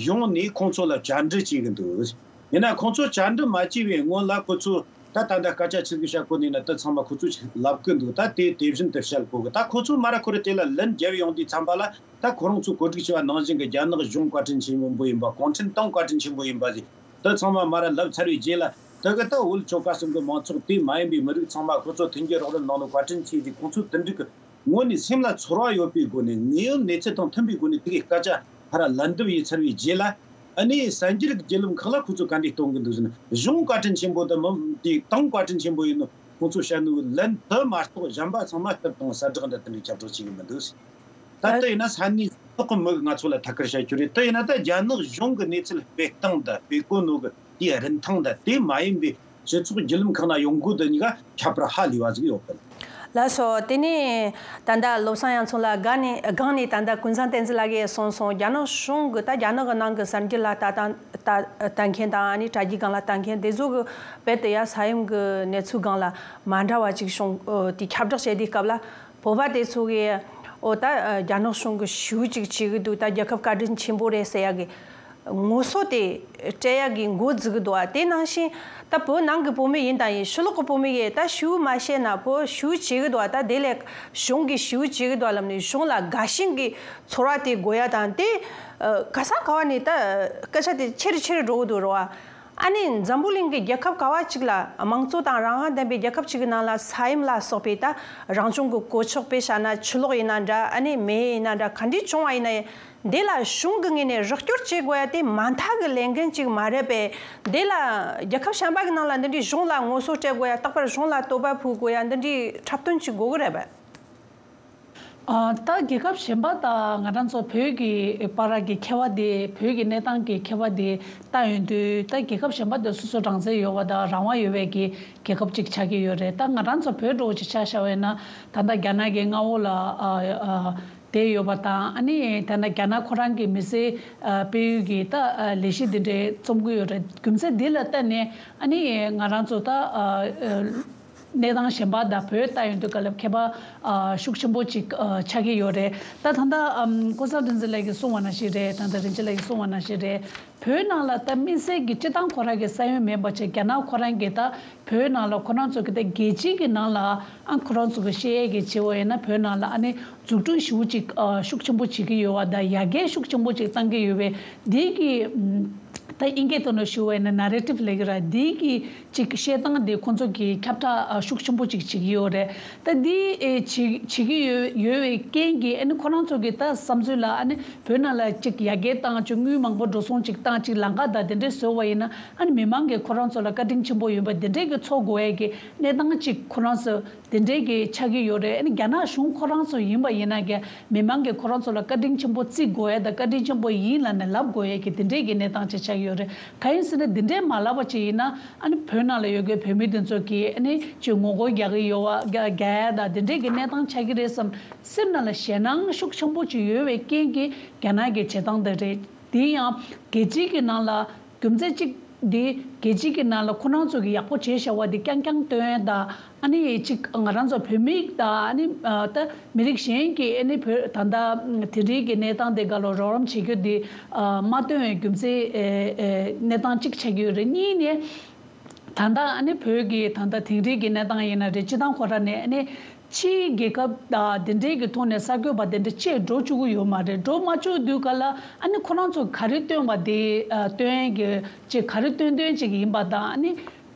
ཡོང་ནས་ཁོང་ཚོ་ལ་བཅར་འདྲི་བྱེད་གི་འདུག། ཡིན་ན་ཁོང་ཚོ་བཅར་འདྲི་མ་བྱས་པའི་སྔོན་ལ་ཁོ་ཚོས་ད་ད་ལྟ་སྐད་ཆ་ཆི་ཟིག་བཤད་གོ་ནི་ན། དེ་ཚང་མ་ཁོ་ཚོས་ལབ་གི་འདུག། ད་དེ་དེ་བཞིན་དུ་བཤད་གོ་གི། ད་ཁོ་ཚོས་མ་ར་ཁོ་ར་དེ་ལ་ལན་རྒྱབ་ཡོང་དུས་ཙམ་པ་ལ། ད་ཁོ་རང་ཚོས་གོ་སྒྲིག་བྱས་པ་ནང་བཞིན་གི་རྒྱ་ནག་གཞུང་བཀའ་དྲིན་ཆེན་པོ་ཡིན་པ། གུང་ཁྲན་ཏང་བཀའ་དྲིན་ཆེན་པོ་ཡིན་པ་ཟེར། དེ་ཚང་མ་མ་ར་ལབ་ཚར་བའི་རྗེས་ལ། དེ་གི་ད་བོད་ཆོལ་ཁ་གསུམ་གི་མང་ཚོགས་དེ་མ་ཡིན་པའི་མི་རིགས་ཚང་མ་ཁོ་ཚོ་མཐུན་འགྱུར་རོགས་རམ་གནང་ནོ་བཀའ་དྲིན་ཆེ་ཟེར། ཁོང་ཚོས་དེ་འདྲའི་གི་ངོས་ནས་སེམས་ལ་ཚོར་བ་ཡོད་པའི་སྒོ་ནས། དངོས་ཡོད་གནས་ཚུལ་དང་མཐུན་པའི་སྒོ་ནས་དེ་གི་སྐད་ཆ་ཕར་ལན་འདེབས་ཡས་ཚར་བའི་རྗེས་ལ། ཨ་ནི་གསར་འགྱུར་གྱི་བརྒྱུད་ལམ་ཁག་ལ་ཁོ་ཚོས་ག་འདྲས་གཏོང་གི་འདུག་ཟེར་ན། གཞུང་བཀའ་དྲིན་ཆེན་པོ་དང་མི་དེ་ཏང་བཀའ་དྲིན་ཆེན་པོ་ཡིན་ནོ་ཁོང་ཚོས་བཤད་ནོ་ལན་དེ་མ་གཏོགས་གཞན་པ་ཚང་མ་སྐད་དང་གསལ་བསྒྲགས་འདྲ་དེ་འདྲའི་ཁྱབ་བསྒྲགས་བྱེད་གི་མི་འདུག་ཟེར། ད་ལྟ་ཡིན་ན་ས་གནས་ཐོག་གི་མི་གིས་ང་ཚོ་ལ་ཐད་ཀར་བཤད་རྒྱུ་རེད། དེ་ཡིན་ན་ད་རྒྱ་ནག་གཞུང་གི་གནས་ཚུལ་སྤེལ་སྟངས་དང་སྤེལ་གོ་ནོ་གི་དེའི་རིན་ཐང་དང་། དེ་མ་ཡིན་པའི་སྤྱི་ཚོགས་བརྒྱུད་ལམ་ཁག་ན་ཡོང་གོ་དེ་གཉིས་ཀ་ཁྱད་པར་ཧ་ལས་པ་ཟིག་ཡོད་གི། ལགས་སོ། དེ་ནས་ད་ལྟ་བློ་བཟང་ཡང་ཚང་ལགས་སྒང་ནས་སྒང་ནས་ད་ལྟ་ཀུན་བཟང་བསྟན་འཛིན་ལགས་ཀྱིས་གསུངས་སོང་། རྒྱ་ནག་གཞུང་གི་ད་རྒྱ་ནག་གི་ནང་གི་གསར་འགྱུར་ལ་ལྟ་སྟངས་ལྟ་ལྟ་མཁན་དང་། ཨ་ནི་དྲ་རྒྱའི་སྒང་ལ་ལྟ་མཁན་དེ་ཚོ་གི་རྦད་དེ་ཡ་ས་ཡོམ་གི་གནས་ཚུལ་སྒང་ལ་མ་འདྲ་བ་ཅིག་བྱུང་། ཨོ། དེ་ཁྱབ་བསྒྲགས་བྱས་དུས་སྐབས་ལ། བོད་པ་དེ་ཚོ་གིས་ཨོ་ད་རྒྱ་ནག་གཞུང་གིས་ཞེ་པོ་ཅིག་བྱེད་ཀྱི་འདུག། ད་རྒྱལ་ཁབ་བཀའ་དྲིན་ཆེན་པོ་རེད་ཟེར་ཡ་གི་ངོ་སོ་དེ་སྤྲད་ཡ་གི་འགོ་འཛུགས་ཀྱི་འདུག་ཨ། དེ་ནང་བཞིན་ད་བོད་ནང་གི་བོད་མི་ཡིན་དང་ཡིན། ཕྱི་ལོགས་གི་བོད་མི་ཡིན། ད་ཞེ་པོ་མ་བཤད་ན་བོད་ཞེ་པོ་བྱེད་ཀྱི་འདུག་ཨ། ད་དེ་ལས་གཞུང་གིས་ཞེ་པོ་བྱེད་ཀྱི་འདུག་ཨ་ལབ་ནས་གཞུང་ལ་དགའ་ཞེན་གྱི་ཚོར་བ་དེ་དགོས་ཡ་དང་། དེ་ག་ས་ག་བ་ནས་ད་སྐད་ཆ་དེ་ཆེ་རུ་ཆེ་རུ་འགྲོ་གི་འདུག་རེད་བ། ཨ་ནི་འཛམ་བུ་གླིང་གི་རྒྱལ་ཁབ་ག་བ་ཅིག་ལ། དམངས་གཙོ་དང་རང་དབང་ལྡན་པའི་རྒྱལ་ཁབ་ཅིག་གི་ནང་ལ་ས་ཡོམ་ལ་སོགས་པའི་ད་རང་བྱུང་གི་གོད་ཆག་དཔེ་བཞག་ན་ཆུ་ལོག་ཡིན་ན་འདྲ། ཨ་ནི་མེ་ཡིན་ན་འདྲ། ག་འདྲས་བྱུང་བ་ཡིན་ན་ཡང་། འདི་ལ་གཞུང་གི་ངོས་ནས་རོགས་སྐྱོར་བྱེད་དགོས་ཡ་དེ་མ་མཐའ་གི་ལས་འགན་ཅིག་མ་རེད་པས། འདི་ལ་རྒྱལ་ཁབ་གཞན་པ་གི་ནང་ལ་འདི་འདྲའི་གཞུང་ལ་ངོ་སོ་སྤྲད་དགོས་ཡ། རྟག་པར་གཞུང་ལ་དོགས་པ་ཕོག་དགོས་ཡ། འདི་འདྲའི་འཁྲབ་སྟོན་ཅིག་དགོས་གི་རེད་པས། ཨ། ད་རྒྱལ་ཁབ་གཞན་པ་དང་ང་རང་ཚོ་བོད་ཀྱི་བར་གྱི་ཁྱད་པར་དེ། བོད་ཀྱི་གནས་སྟངས་ཀྱི་ཁྱད་པར་དེ་ལྟ་ཡོང་དུས། ད་རྒྱལ་ཁབ་གཞན་པ་དེ་སོ་སོ་རང་བཙན་ཡོད་པ་དང་རང་དབང་ཡོད་པའི་གི་རྒྱལ་ཁབ་ཅིག་ཆགས་ཀྱི་ཡོད་རེད། ད་ང་རང་ཚོ་བོད་འདྲ་བོ་ཅིག་ཆ་བཞག་པ་ཡིན་ན། ད་ལྟ་རྒྱ་ནག་གི་མངའ་འོག་ལ་ཨ་ཨ་བསྡད་ཡོད་པ་དང་། ཨ་ནི་ད་ལྟ་རྒྱ་ནག་ཁོ་རང་གི་མི་སེར་ཨ་སྤེལ་ཡུལ་གྱི་ད་ཨ་ལས་གཞི་འདི་འདྲའི་རྩོམ་གྱི་ཡོད་རེད། རྒྱུ་མཚན་འདི་ལ་བརྟེན་ནས་ཨ་ནི་ང་རང་ཚོ་ད་ཨ་ཨ་གནས་སྟངས་གཞན་པ་དང་བོད་ལྟ་ཡོང་དུས་སྐབས་ལ་ཁྱད་པར་ཨ་ཤུགས་ཆེན་པོ་ཅིག་ཨ་ཆགས་ཀྱི་ཡོད་རེད། ད་ད་ལྟ་ཨམ་ཀུན་བཟང་བསྟན་འཛིན་ལགས་ཀྱིས་གསུངས་པ་ནང་བཞིན་རེད། ད་ལྟ་རིན་ཆེན་ལགས་ཀྱིས་གསུངས་པ་ནང་བཞིན་རེད། བོད་ནང་ལ་ད་དམིགས་བསལ་གྱི་སྤྱི་བཏང་ཁོ་རང་གི་ས་ཡོམ་མིན་པ་བྱས། རྒྱ་ནག་ཁོ་རང་གིས་ད་བོད་ནང་ལ་ཁོ་རང་ཚོ་གི་ད་རྒྱལ་སྤྱི་གི་ནང་ལ་ཨ་ཁོ་རང་ཚོ་གི་བཤད་ཡས་ཀྱི་བྱེད་པ་ཡིན་ན། བོད་ནང་ལ་ཨ་ནི་འཛུགས་སྐྲུན་ཞེ་པོ་ཅིག་ཨ་ཤུགས་ཆེན་པོ་བྱེད་ཀྱི་ཡོད་པ་དང་། ཡར་རྒྱས་ཤུགས་ཆེན་པོ་ཅིག་བཏང་གི་ཡོད་པའི་འདི་གི་ད་དབྱིན་སྐད་ཐོག་ནས་ཞུ་བ་ཡིན་ན་ནེ་རེ་ཊིབ་ལབ་ཀྱི་རེད། འདི་གི་ཅིག་བཤད་སྟངས་དེ་ཁོང་ཚོ་གིས་ཁྱབ་བསྒྲགས་ཨ་ཤུགས་ཆེན་པོ་ཅིག་བྱེད་ཀྱི་ཡོད་རེད། ད་འདི་ཨེ་བྱེད་བྱེད་ཀྱི་ཡོད་ཡོད་པའི་རྐྱེན་གྱིས་ཨ་ནི་ཁོ་རང་ཚོ་གི་ད་བསམ་ཚུལ་ལ། ཨ་ནི་བོད་ནང་ལ་ཅིག་ཡར་རྒྱས་བཏང་། ཅིག་དངུལ་མང་པོ་འགྲོ་སོང་ཅིག་བཏང་། ཅིག་ལམ་ཁ་དང་དེ་འདྲས་བཟོས་པ་ཡིན་ན། ཨ་ནི་མི་མང་གིས་ཁོ་རང་ཚོ་ལ་བཀའ་དྲིན་ཆེན་པོ་ཡིན་པ་དེ་འདྲས་ཀྱི་ཚོར་དགོས་ཡས་ཀྱི་གནས་སྟངས་ཅིག་ཁོ་རང་ཚོ་དེ་འདྲས་ཀྱི་ཆགས་ཀྱི་ཡོད་རེད། ཨ་ནི་རྒྱ་ནག་གཞུང་ཁོ་རང་ཚོ་ཡིན་པ་ཡིན་ན་ཀྱང་མི་མང་གིས་ཁོ་རང་ཚོ་ལ་བཀའ་དྲིན་ཆེན་པོ་བརྩི་དགོས་ཡས་དང་། བཀའ་དྲིན་ཆེན་པོ་ཡིན་ལབ་ནས་ལབ་དགོས་ཡས་ཀྱི་དེ་འདྲས་ཀྱི་གནས་སྟངས་ཅིག་ཆགས། ཡོད་རེད། གང་ཡིན་ཟེར་ན་འདི་འདྲའི་མ་ལབ་པ་ཅིག་ཡིན་ན་ཨ་ནི་བོད་ནང་ལ་ཡོད་མཁན་བོད་མི་དེ་ཚོ་གིས་ཨ་ནི་ཅིག་ངོ་རྒོལ་རྒྱག་གི་ཡོད་པ་རྒྱག་ཡ་དང་དེ་འདྲའི་གི་གནས་སྟངས་ཆགས་ཀྱི་རེད་བསམ་སེམས་ནང་ལ་ཞེད་སྣང་ཤུགས་ཆེན་པོ་ཅིག་ཡོད་པའི་རྐྱེན་གྱིས་རྒྱ་ནག་གི་བྱེད་སྟངས་དེ་རེད། དེ་ཡང་རྒྱལ་སྤྱིའི་གི་ནང་ལ་རྒྱུ་མཚན་གཅིག་འདི་རྒྱལ་སྤྱིའི་གི་ནང་ལ་ཁོ་རང་ཚོ་གི་ཡག་པོ་བྱས་བཞག་པ་འདི་རྐྱང་རྐྱང་སྟོན་ཡ་དང་ཨ་ནི་གཅིག་ང་རང་ཚོ་བོད་མི་དང་ཨ་ནི་ད་མི་རིགས་གཞན་གྱི་ཨ་ནི་བོད་ད་ལྟ་དེ་འདྲའི་གི་གནས་སྟངས་དེ་ག་ལ་རོགས་རམ་བྱེད་རྒྱུ་འདི་མ་སྟོན་པའི་རྒྱུ་མཚན་གནས་སྟངས་གཅིག་ཆགས་ཀྱི་ཡོད་རེད། གཉིས་ནས། ད་ལྟ་ཨ་ནི་བོད་ཀྱི་ད་ལྟ་དེང་རབས་ཀྱི་གནས་སྟངས་ཡིན་ན་རེད། སྤྱི་བཏང་ཁོ་ར་ནས་ཨ་ནི་ཕྱིའི་རྒྱལ་ཁབ་དང་དེ་འདྲའི་གི་ཐོག་ནས་གསར་འགོད་པ་དེ་འདྲ་ཆེད་འགྲོ་བཅུག་གི་ཡོད་མ་རེད། འགྲོ་མ་བཅུག་དུས་ག་ལ་ཨ་ནི་ཁོ་རང་ཚོ་ག་རེ་སྟོན་པ་དེ་སྟོན་གྱི་ཅིག་ག་རེ་སྟོན་སྟོན་ཅིག་ཡིན་པ་དང་ཨ་ནི་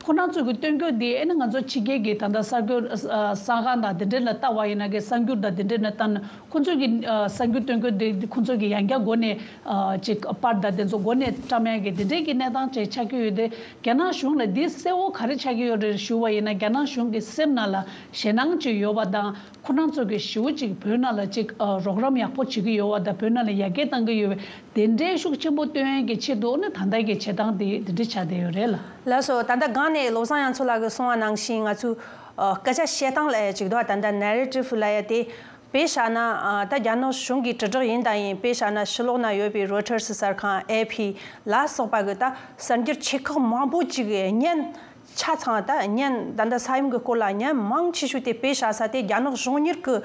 ཁོ་རང་ཚོ་གི་སྟོན་རྒྱུ་དེ་ཨ་ནི་ང་ཚོ་ཕྱི་རྒྱལ་གྱི་ད་ལྟ་གསར་འགོད་གསར་ཁང་དང་དེ་འདྲ་ལ་ལྟ་བ་ཡིན་ན་གི་གསར་འགྱུར་དང་དེ་འདྲ་ལ་ལྟ་ན། ཁོང་ཚོ་གི་ཨ་གསར་འགྱུར་སྟོན་དགོས་དེ་ཁོང་ཚོ་གི་ཡང་བསྐྱར་སྒོ་ནས་ཨ་ཅིག་པར་དང་དེ་ཚོ་སྒོ་ནས་བཀྲམ་ཡག་གི་དེ་འདྲའི་གི་གནས་སྟངས་ཅིག་ཆགས་ཀྱི་ཡོད་དེ། རྒྱ་ནག་གཞུང་ལ་འདི་གསལ་བོ་ག་རེ་ཆགས་ཀྱི་ཡོད་རེད་ཞུ་བ་ཡིན་ན། རྒྱ་ནག་གཞུང་གི་སེམས་ནང་ལ་ཞེད་སྣང་ཅིག་ཡོད་པ་དང་ཁོ་རང་ཚོ་གི་ཞེ་པོ་ཅིག་བོད་ནང་ལ་ཅིག་ཨ་རོགས་རམ་ཡག་པོ་བྱེད་ཀྱི་ཡོད་པ་དང་བོད་ནང་ལ་ཡར་རྒྱས་གཏང་གི་ཡོད་པའི་དེ་འདྲའི་ཤུགས་ཆེན་པོ་སྟོན་ཡག་གི་ཆེད་དུ་ནི་ད་ལྟ་གི་བྱེད་སྟངས་དེ་དེ་འདྲ་ཆགས་བསྡད་ཡོད་རེད་ལ། ལགས་སོ། ད་ལྟ་སྒང་ནས་བློ་བཟང་དབྱངས་མཚོ་ལགས་ཀྱིས་གསུངས་པ་ནང་བཞིན་ང་ཚོས་ཨ་སྐད་ཆ་བཤད་སྟངས་ལབ་ཡ་ཅིག་འདུག་ད་ལྟ་ནེ་རེ་ཊིབ་ལབ་ཡ་དེ། དཔེ་བཞག་ན་ཨ་ད་རྒྱ་ནག་གཞུང་གི་དྲིལ་བསྒྲགས་ཡིན་དང་ཡིན། དཔེ་བཞག་ན་ཕྱི་ལོགས་ན་ཡོད་པའི་རོའི་ཊར་སི་གསར་ཁང་། ཨེ་ཕི་ལ་སོགས་པ་གི་ད་གསར་འགྱུར་ཆེ་ཁག་མང་པོ་ཅིག་གི་བརྙན་ཆ་ཚང་། ད་བརྙན་ད་ལྟ་ས་ཡོམ་གི་སྐོར་ལ་བརྙན་མང་ཆེ་ཤོས་དེ་དཔེ་བཞག་ས་དེ་རྒྱ་ནག་གཞུང་གཉེར་གི་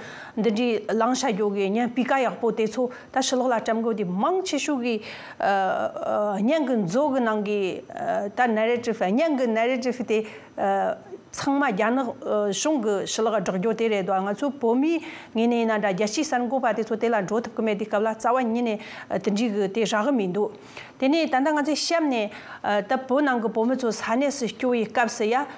འདི་འདྲའི་ལངས་བྱ་རྒྱུ་གི་བརྙན་སྤུས་ཀ་ཡག་པོ་དེ་ཚོ་ད་ཕྱི་ལོགས་ལ་བཀྲམ་དགོས་དེ་མང་ཆེ་ཤོས་གི་ཨ་ཨ་བརྙན་གི་མཛོ་གི་ནང་གི་ཨ་ད་ནེ་རེ་ཊིབ། བརྙན་གི་ནེ་རེ་ཊིབ་དེ་ཨ་ཚང་མ་རྒྱ་ནག་ཨ་གཞུང་གི་ཕྱི་ལོགས་སྒྲོག་རྒྱུ་དེ་རེད་དོ། ང་ཚོ་བོད་མིའི་ངོས་ནས་ཡིན་ན་འདྲ། རྒྱལ་སྤྱིའི་གསར་འགོད་པ་དེ་ཚོ་དེ་ལ་འགྲོ་ཐུབ་ཀྱི་མེད་དུས་སྐབས་ལ་རྩ་བ་ཉིད་ནས་ཨ་དེ་འདྲའི་གི་དེ་རག་གི་མི་འདུག་དེ་ནས་ད་ལྟ་ང་ཚོས་གཤམ་ནས་ཨ་ད་བོད་ནང་གི་བོད་མི་ཚོ་ས་གནས་སུ་སྐྱོ་བའི་སྐབས་སུ་ཡ།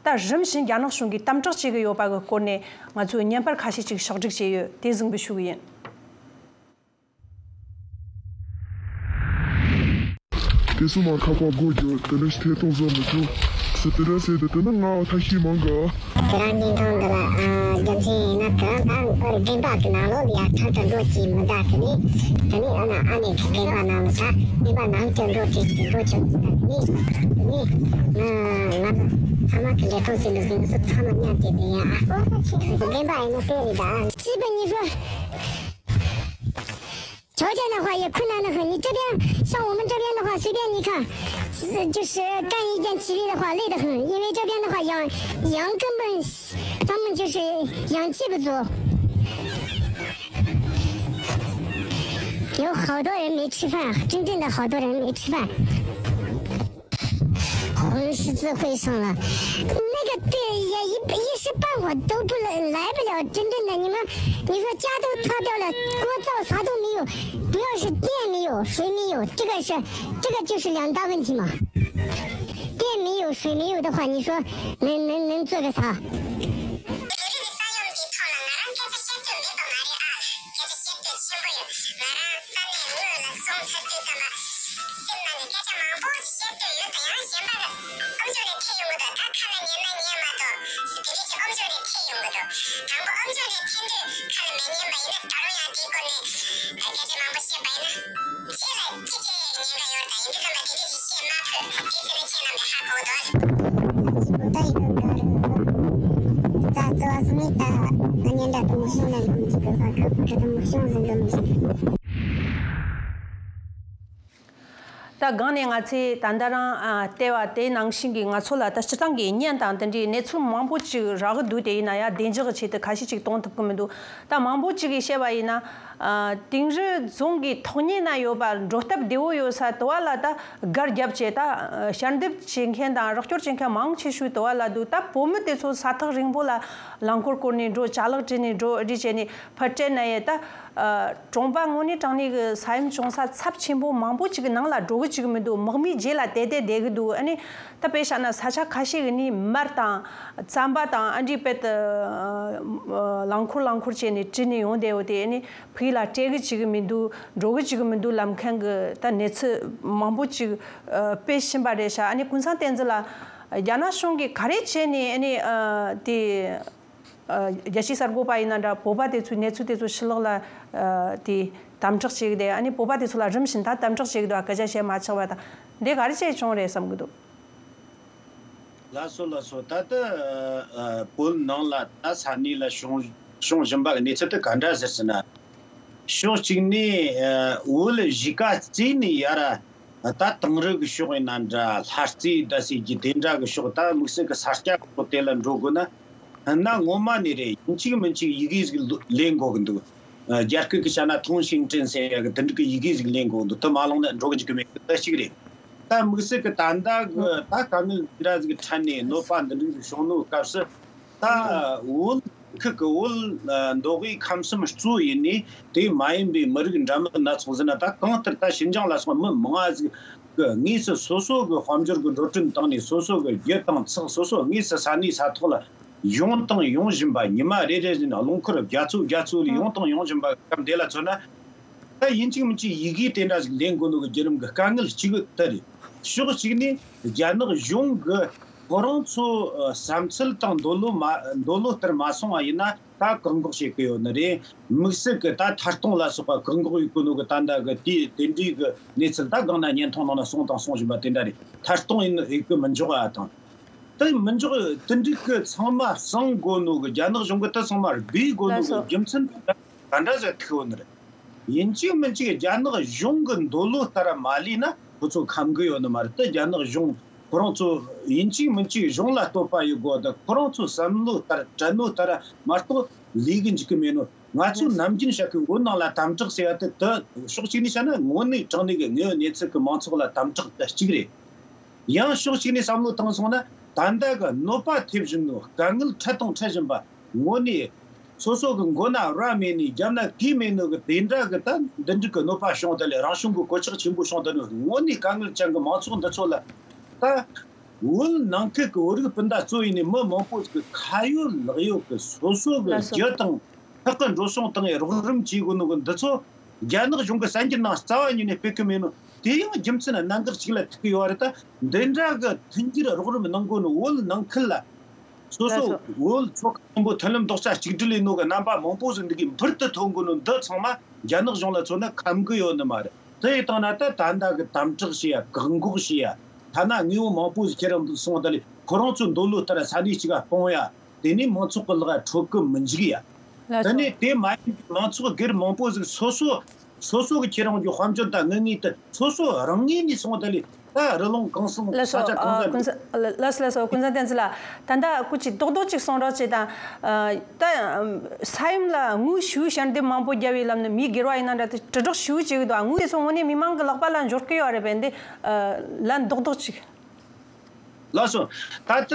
ད་རིམ་བཞིན་རྒྱ་ནག་གཞུང་གིས་དམ་དྲག་བྱེད་ཀྱི་ཡོད་པ་གི་སྐོར་ནས་ང་ཚོས་བརྙན་པར་ཁ་ཤས་ཅིག་ཕྱོགས་སྒྲིག་བྱས་ཡོད། དེ་གཟིགས་འབུལ་ཞུ་གི་ཡིན། དེ་ཚོ་མ་ཁ་པར་སྒོ་རྒྱག་དེ་འདྲ་ཞིག་ཐད་གཏོང་བཟོ་མི་ཐུབ། སུ་དེ་འདྲ་ཟེར་དུས་དེ་ན་ང་ཐ་ཤི་མང་ག་དེ་རང་བརྙན་ཐུང་འདི་ལ་ཨ་རྒྱུ་མཚན་ཡིན་ན་དེ་རང་ད་རྒན་པ་གི་ནང་ལོགས་ལ་ཡ་ཐར་དུ་འགྲོ་གི་མི་འདུག་དེ་ནས་དེ་ནས་ཨ་ན་ཨ་ནེ་གི་རྒན་པ་ནང་ལ་ས་རྒན་པ་ནང་དུ་འགྲོ་གི་འགྲོ་ཆོག་གི་འདུག་དེ་ནས་དེ་ནས་ང་ང་ཚང་མ་གི་ལས་ཁུངས་སུ་ལུས་ཟིན་སུ་ཚང་མ་མཉམ་དུ་དེ་ཡ་ཨ་རྒན་པ་ཡིན་ན་དེ་རེད་ད། སྐྱིད་པ་ཉི་ཤུ། 条件的话也困难得很，你这边像我们这边的话，随便你看，是就是干一件体力的话累得很，因为这边的话氧氧根本咱们就是氧气不足，有好多人没吃饭，真正的好多人没吃饭。 红十字会上了，那个队也一一时半会儿都不来来不了，真正的你们，你说家都塌掉了，锅灶啥都没有，不要是电没有，水没有，这个是这个就是两大问题嘛。电没有，水没有的话，你说能能能做个啥？ སྐད་ཆ་བཤད་དུས་མེད་པ་མ་རེད་ཨ། སྐད་ཆ་བཤད་དུས་ཆེན་པོ་ཡོད། ང་རང་ས་གནས་དངོས་ལ་སོང་ཚར་དུས་ཙམ་པ། སེམས་ནང་ནས་སྐད་ཆ་མང་པོ་ཞིག་བཤད་འདོད་ཡོད་དང་ཡང་གཞན་པ་ལ་ཨམ་ཅོག་རེ་འཐེན་ཡོང་གི་འདུག་ད་ཁ་ལ་ཉན་ན་ཉན་མ་གཏོགས་སུ་དེ་རིགས་ཀྱི་ཨམ་ཅོག་རེ་འཐེན་ཡོང་གི་འདུག་དང་པོ་ཨམ་ཅོག་རེ་འཐེན་དུས་ཁ་ལ་མི་ཉན་པ་ཡིན་ན་ད་རུང་ཡང་དེའི་སྐོར་ནས་སྐད་ཆ་མང་པོ་བཤད་པ་ཡིན་ན། ཁྱེད་ལ་ཅི་བྱེད་ཉེན་ཁ་ཡོད་དང་ཡིན་དུས་ཙམ་པ་དེ་འདྲ་ཞིག་བཤད་མ་ཕོད། དེ་ཟེར་ན་ཁྱེད་རྣམ་པས་ཧ་གོ་འདུག་ད་སྒང་ནས་ང་ཚོས་ད་ལྟ་རང་ཨ་བལྟས་པ་དེ་ནང་བཞིན་གྱི་ང་ཚོ་ལ་ད་སྤྱིར་བཏང་གི་བརྙན་དང་དེ་འདྲའི་གནས་ཚུལ་མང་པོ་ཅིག་རག་གི་འདུག་དེ་ཡིན་ན་ཡང་བདེ་འཇགས་ཀྱི་ཆེད་དུ་ཁ་ཤས་ཅིག་གཏོང་ཐུབ་ཀྱི་མི་འདུག་ད་མང་པོ་ཅིག་གིས་བཤད་པ་ཡིན་ན། ཨ་དིང་རི་རྫོང་གི་ཐོག་ཉེ་ན་ཡོད་པ་འགྲོ་སྟབས་བདེ་བོ་ཡོད་ས་དུ་བ་ལ་ད་སྒར་བརྒྱབ་བྱས་ད་ཞལ་འདེབས་བྱེད་མཁན་དང་རོགས་སྐྱོར་བྱེད་མཁན་མང་ཆེ་ཤོས་དུ་བ་ལ་འདུག་ད་བོད་མི་དེ་ཚོ་ས་ཐག་རིང་པོ་ལ་རླངས་འཁོར་བསྐོར་ནས་འགྲོ། ཅ་ལག་བྲིས་ནས་འགྲོ་རེས་བྱས་ནས་ཕར་སྤྲད་ན་ཡས་ད་གྲོང་པ་དངོས་གནས་དྲང་གནས་ཀྱི་ས་ཡོམ་བྱུང་ས་ཚབས་ཆེན་པོ་མང་པོ་ཅིག་གི་ནང་ལ་འགྲོ་གི་ཅིག་མི་འདུག་མག་མིག་རྗེས་ལ་དེད་དེ་བསྡད་གི་འདུག་ཨ་ནི་ད་དཔེ་བཞག་ན་ས་ཆ་ཁ་ཤས་ཀྱི་ནི་མར་དང་རྩམ་པ་དང་ཨ་འདྲའི་དཔེ་ད་རླངས་འཁོར་རླངས་འཁོར་བྱས་ནས་བྲིས་ནས་ཡོང་བསྡད་ཡོད་དེ། ཨ་ནི་བོད་ལ་སྤྲད་གི་ཅིག་མི་འདུག་འགྲོ་གི་ཅིག་མི་འདུག་ལབ་མཁན་གི་ད་གནས་ཚུལ་མང་པོ་ཅིག་ཨ་སྤེལ་བཞིན་པ་རེད་ཤག་ཨ་ནི་ཀུན་བཟང་བསྟན་འཛིན་ལགས། རྒྱ་ནག་གཞུང་གིས་ག་རེ་བྱས་ནས་ཨ་ནི་ཨ་དེ་ཨ་རྒྱལ་སྤྱིའི་གསར་འགོད་པ་ཡིན་ན་འདྲ། བོད་པ་དེ་ཚོའི་གནས་ཚུལ་དེ་ཚོ་ཕྱི་ལོགས་ལ་ཨ་དེ་ དམ་དྲག་བྱེད་ཀྱི་དེ། ཨ་ནི་བོད་པ་དེ་ཚོ་ལ་རིམ་བཞིན་ད་དམ་དྲག་བྱེད་ཀྱི་འདུག་སྐད་ཆ་བཤད་མ་ཆོག་པ་དང་། འདི་ག་རེ་བྱས་བྱུང་རེད་བསམ་གྱི་འདུག་ལགས་སོ་ལགས་སོ། ད་ལྟ་ཨ་ཨ་བོད་ནང་ལ་ད་ས་གནས་ལ་བྱུང་བྱུང་བཞིན་པ་གི་གནས་ཚུལ་དེ་ག་འདྲ་ཟེར་ཟེར་ན། ཕྱོགས་གཅིག་ནས་ཨ་བོད་གཞིས་ཀ་རྩེ་ནས་ཡར་ད་དེང་རབས་ཀྱི་ཕྱོགས་ཡིན་ན་འདྲ། ལྷ་རྩེ་ད་ཟེར་གྱི་དེ་འདྲ་གི་ཕྱོགས། ད་དམིགས་བསལ་གྱི་ས་སྐྱ་གི་ཕྱོགས་དེ་ལ་འགྲོ་དགོས་ན། ན་ངོ་མ་ནས་རེད། ཡིན་གཅིག་མིན་གཅིག་ཡི་གེ་ཟིག་ལེན་དགོས་གི་འདུག་ཨ་རྒྱ་སྐད་ཀྱི་བྱས་ན་通行证ཟེར་ཡ་གི་དེ་འདྲ་གི་ཡི་གེ་ཟིག་ལེན་དགོས་གི་འདུག་དེ་མ་བླངས་ན་འགྲོ་གི་འཇུག་གི་མེད་གི། ད་གཅིག་རེད། ད་དམིགས་བསལ་གྱི་ད་ལྟ་གི་ད་དཀའ་ངལ་འདི་འདྲ་ཟིག་གི་འཕྲད་ནས་གནོད་པ་འདི་འདྲ་ཟིག་བྱུང་ནོ་སྐབས་སུ། ད་བོད་ཁུལ་གྱི་བོད་ཨ་མདོ་དབུས་ཁམས་གསུམ་གཙོ་ཡིན་ནས་དེ་མ་ཡིན་པའི་མི་རིགས་འདྲ་མིན་སྣ་ཚོགས་ཟེར་ན། ད་གང་ལྟར་ད་ཕྱི་འགྱངས་ལ་སོགས་མི་མང་ང་ཟིག་གི་དངོས་སུ་སོ་སོ་གི་དཔལ་འབྱོར་གྱི་འགྲོ་གྲོན་བཏང་ནས། སོ་སོ་གི་རྒྱུ་དང་ཚགས་སོ་སོ་དངོས་སུ་ས་གནས་ས་ཐོག་ལ་ཡོང་དང་ཡོང་བཞིན་པ། ཉི་མ་རེ་རེ་བཞིན་རླངས་འཁོར་བརྒྱ་ཚོ་བརྒྱ་ཚོ་ལ་ཡོང་དང་ཡོང་བཞིན་པ་སྐབས་འདི་ལ་མཚོན་ན། ད་ཡིན་གཅིག་མིན་གཅིག་ཡི་གེ་དེ་འདྲ་ཞིག་ལེན་དགོས་ནོ་གི་བརྒྱུད་རིམ་གྱི་དཀའ་ངལ་གཅིག་དེ་རེད། ཕྱོགས་གཅིག་ནས་རྒྱ་ནག་གཞུང་གི་ཁོ་རང་ཚོ་ཨ་བསམ་ཚུལ་དང་འདོད་བློ་མ་འདོད་བློ་ལྟར་མ་སོང་བ་ཡིན་ན། ད་བཀག་འགོག་བྱེད་ཀྱི་ཡོད་ནི་རེད། དམིགས་བསལ་གྱི་ད་ཐད་གཏོང་ལ་སོགས་པ་བཀག་འགོག་ཡེད་དགོས་ནོ་གི་ད་ལྟ་གི་དེ་དེ་འདྲའི་གི་གནས་ཚུལ་ད་གང་ན་བརྙན་ཐུང་ནང་ན་སོང་དང་སོང་བཞིན་པ་དེ་འདྲ་རེད། ཐད་གཏོང་ཡིན་ཡེད་གི་མི་འཇོག་ཨ་དང་། དེ་མི་འཇོག་དེ་འདྲའི་གི་ཚང་མ་གསང་དགོས་ནོ་གི། རྒྱ་ནག་གཞུང་གི་དེ་ཚང་མ་སྦས་དགོས་ནོ་གི་རྒྱུ་མཚན་ག་འདྲ་ཟིག་ཐུག་ཡོད་ནི་རེད། ཡིན་གཅིག་མིན་གཅིག་རྒྱ་ནག་གཞུང་གི་འདོད་བློ་ལྟར་མ་ལས་ན་ཁོ་ཚོ་ཁམ་གི་ཡོད་ནི་མ་རེད། དེ་རྒྱ་ནག་གཞུང་ཁོ་རང་ཚོ་ཡིན་གཅིག་མིན་གཅིག་གཞུང་ལ་བསྟོད་པ་ཡེད་དགོས། དེ་ཁོ་རང་ཚོ་བསམ་བློ་ལྟར་དྲན་ནོ་ལྟར་མ་གཏོགས་ལས་གི་འཇུག་གི་མེད་ནོ། ང་ཚོ་ནམ་རྒྱུན་བཤད་གི་བོད་ནང་ལ་དམ་དྲག་ཟེར་ཡ་དེ། དེ་ཕྱོགས་གཅིག་ནས་བཤད་ན་དངོས་གནས་དྲང་གནས་གི་དངོས་ཡོད་གནས་ཚུལ་གི་མང་ཚོགས་ལ་དམ་དྲག་དེ་གཅིག་རེད། ཡང་ཕྱོགས་གཅིག་ནས་བསམ་བློ་བཏང་སོང་ན། ད་ལྟ་གི་གནོད་པ་ཐེབས་བཞིན་ནོ། དཀའ་ངལ་འཕྲད་དང་འཕྲད་བཞིན་པ། དངོས་གནས་སོ་སོ་གི་མགོ་ན་རྭ་མེད་ནས་རྒྱབ་ན་གོས་མེད་ནོ་གི་དེ་འདྲ་གི་ད་འདི་འདྲ་གི་གནོད་པ་བྱུང་། དེ་ལས་རང་བྱུང་གི་གོད་ཆག་ཆེན་པོ་བྱུང་། དེ་ནི་དངོས་གནས་དཀའ་ངལ་ཅན་གི་མང་ཚོགས་འདི་ཚོ་ལ། ད་བོད་ནང་ཁུལ་གི་བོད་རིགས་སྤུན་ཟླ་གཙོ་ཡིན་ནས་མི་མང་པོ་ཟིག་གི་ཁ་ཡོད་ལག་ཡོད་གི་སོ་སོ་གི་ལགས་སོ། རྒྱུ་དང་ཁག་གི་འགྲོ་སོང་བཏང་ངས་རོགས་རམ་བྱེད་དགོས་ནོ་གི་འདི་ཚོ། རྒྱ་ནག་གཞུང་གི་གསར་འགྱུར་ནང་རྩ་བ་ཉིད་ནས་སྤེལ་གི་མེད་ནོ། དེ་ཡང་རྒྱུ་མཚན་གནད་འགག་ཅིག་ལ་ཐུག་གི་ཡོད་རེད། ད་འདི་འདྲ་གི་མཐུན་འགྱུར་རོགས་རམ་གནང་དགོས་ནོ། བོད་ནང་ཁུལ་ལ་སོ་ལགས་སོ། སོ་བོད་ཚོ་ཆེན་པོ་མཐུན་ལམ་རྡོག་རྩ་གཅིག་སྒྲིལ་ཡིན་ནོ་གི་རྣམ་པ་མང་པོ་ཟིག་འདི་གི་འཕུར་དུ་ཐོན་དགོས་ནོ། འདི་ཚང་མ་རྒྱ་ནག་གཞུང་ལ་མཚོན་ན་ཁམ་གི་ཡོད་ནི་མ་རེད། དེ་ཡི་སྟེང་ན་ད་ད་ལྟ་གི་དམ་དྲག་བྱེད་ཡ། བཀག་འགོག་བྱེད་ཡ། ཐ་ན་དངོས་པོ་མང་པོ་ཟིག་ཁྱེར་རང་འདུག་སོང་། ད་ལས་ཁོ་རང་ཚོ་འདོད་བློ་ལྟར་ས་གནས་གཅིག་ག་སྤུངས་ཡ། དེ་ནས་མང་ཚོགས་ཀྱི་ལག་འཕྲོད་གི་མི་འཇུག་ཡ། ལགས་དེ་སོ། ནས་དེ་མ་ཡིན་པའི་མང་ཚོགས་སྒེར་མང་པོ་ཟིག་སོ་སོ་སོ་སོ་གི་ཁྱེད་རང་གི་དཔལ་འབྱོར་དང་དངུལ་དངོས་དེ་སོ་སོ་རང་ངོས་ནས་སོང་། ད་ལས་ད་རི་ལུང་གངས་སེང་ལགས་སོ། ས་ཆ་གང་ཨ་ཟག་ཀུན་གཟིགས། ལགས་སོ་ལགས་སོ། ཀུན་བཟང་བསྟན་འཛིན་ལགས། ད་ལྟ་སྐུ་མཁྱེན་རྡོག་རྡོག་ཅིག་གསུང་རོགས་བྱེད་དང་། ཨ་ད་ས་ཡོམ་ལ་དངོས་ཤུགས་ཞལ་འདེབས་མང་པོ་བརྒྱབ་པའི་ལམ་ནས་མི་སྒེར་བ་ཡིན་ན་འདྲ་དེ་དྲིལ་བསྒྲགས་ཞུ་བྱེད་ཀྱི་འདུག་དངོས་སུ་དངོས་གནས་མི་མང་གི་ལག་པ་ལ་འབྱོར་གི་ཡོད་རེད་པས། འདི་ཨ་ལན་རྡོག་རྡོག་ཅིག་ལགས་སོ། ད་ལྟ་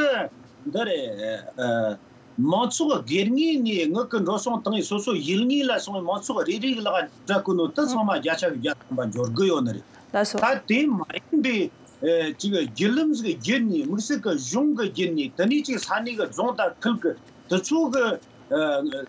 འདི་རེད། ཨ་མང་ཚོགས་སྒེར་ངོས་ནས་དངུལ་གྱི་འགྲོ་སོང་བཏང་ཡས། སོ་སོ་ཡུལ་དངོས་ལ་སོང་བའི་མང་ཚོགས་རེ་རེ་གི་ལག་སྤྲད་གོ་ནོ་དེ་ཚང་མ་བརྒྱ་ཆ་གི་བརྒྱ་ཐམ་པ་འབྱོར་གི་ཡོད་ནི་རེད། ལགས་སོ། ད་དེ་མ་ཡིན་པའི་ཨ་ཅིག་བརྒྱུད་ལམ་ཟིག་བརྒྱུད་ནས། དམིགས་བསལ་གི་གཞུང་གི་བརྒྱུད་ནས། དེ་ནས་ཅིག་ས་གནས་གི་རྫོང་དང་ཁུལ་གི་དེ་ཚོ་གི་ཨ་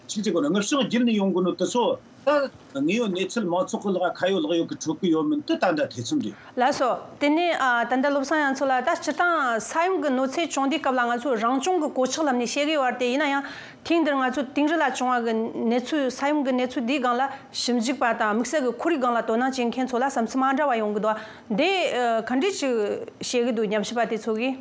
ཅིག་ཅིག་གོ་ན་དངུལ་བྱང་བརྒྱུད་ནས་ཡོང་གོ་ནོ་དེ་ཚོ། ད་དངོས་ཡོད་གནས་ཚུལ་མང་ཚོགས་ཀྱི་ལག་ཁ་ཡོད་ལག་ཡོད་ཀྱི་འཕྲོད་ཀྱི་ཡོད་མིན་དེ་ད་ལྟ་ཐེ་ཚོམ་རེད། ལགས་སོ། དེ་ནས་ཨ་ད་ལྟ་བློ་བཟང་རྒྱ་མཚོ་ལགས། ད་སྤྱིར་བཏང་ས་ཡོམ་གྱི་གནོད་འཚེ་བྱུང་དུས་སྐབས་ལ་ང་ཚོས་རང་སྐྱོང་གི་གོད་ཆག་ལམ་ནས་བཤད་ཀྱི་ཡོད་རེད་དེ། ཡིན་ན་ཡང་ཐེངས་འདིར་ང་ཚོ་དིང་རི་ལ་བྱུང་བ་གི་གནས་ཚུལ། ས་ཡོམ་གྱི་གནས་ཚུལ་འདིའི་སྒང་ལ་ཞིབ་འཇུག་པ་དང་དམིགས་བསལ་གྱི་ཁོར་ཡུག་སྒང་ལ་དོ་སྣང་བྱེད་མཁན་ཚོ་ལ་བསམ་ཚུལ་མ་འདྲ་བ་ཡོང་གི་འདུག་འདི་ཨ་ག་འདྲས་ཅིག་བཤད་ཀྱི་འདུག་ཉམས་ཞིབ་པ་དེ་ཚོ་གིས།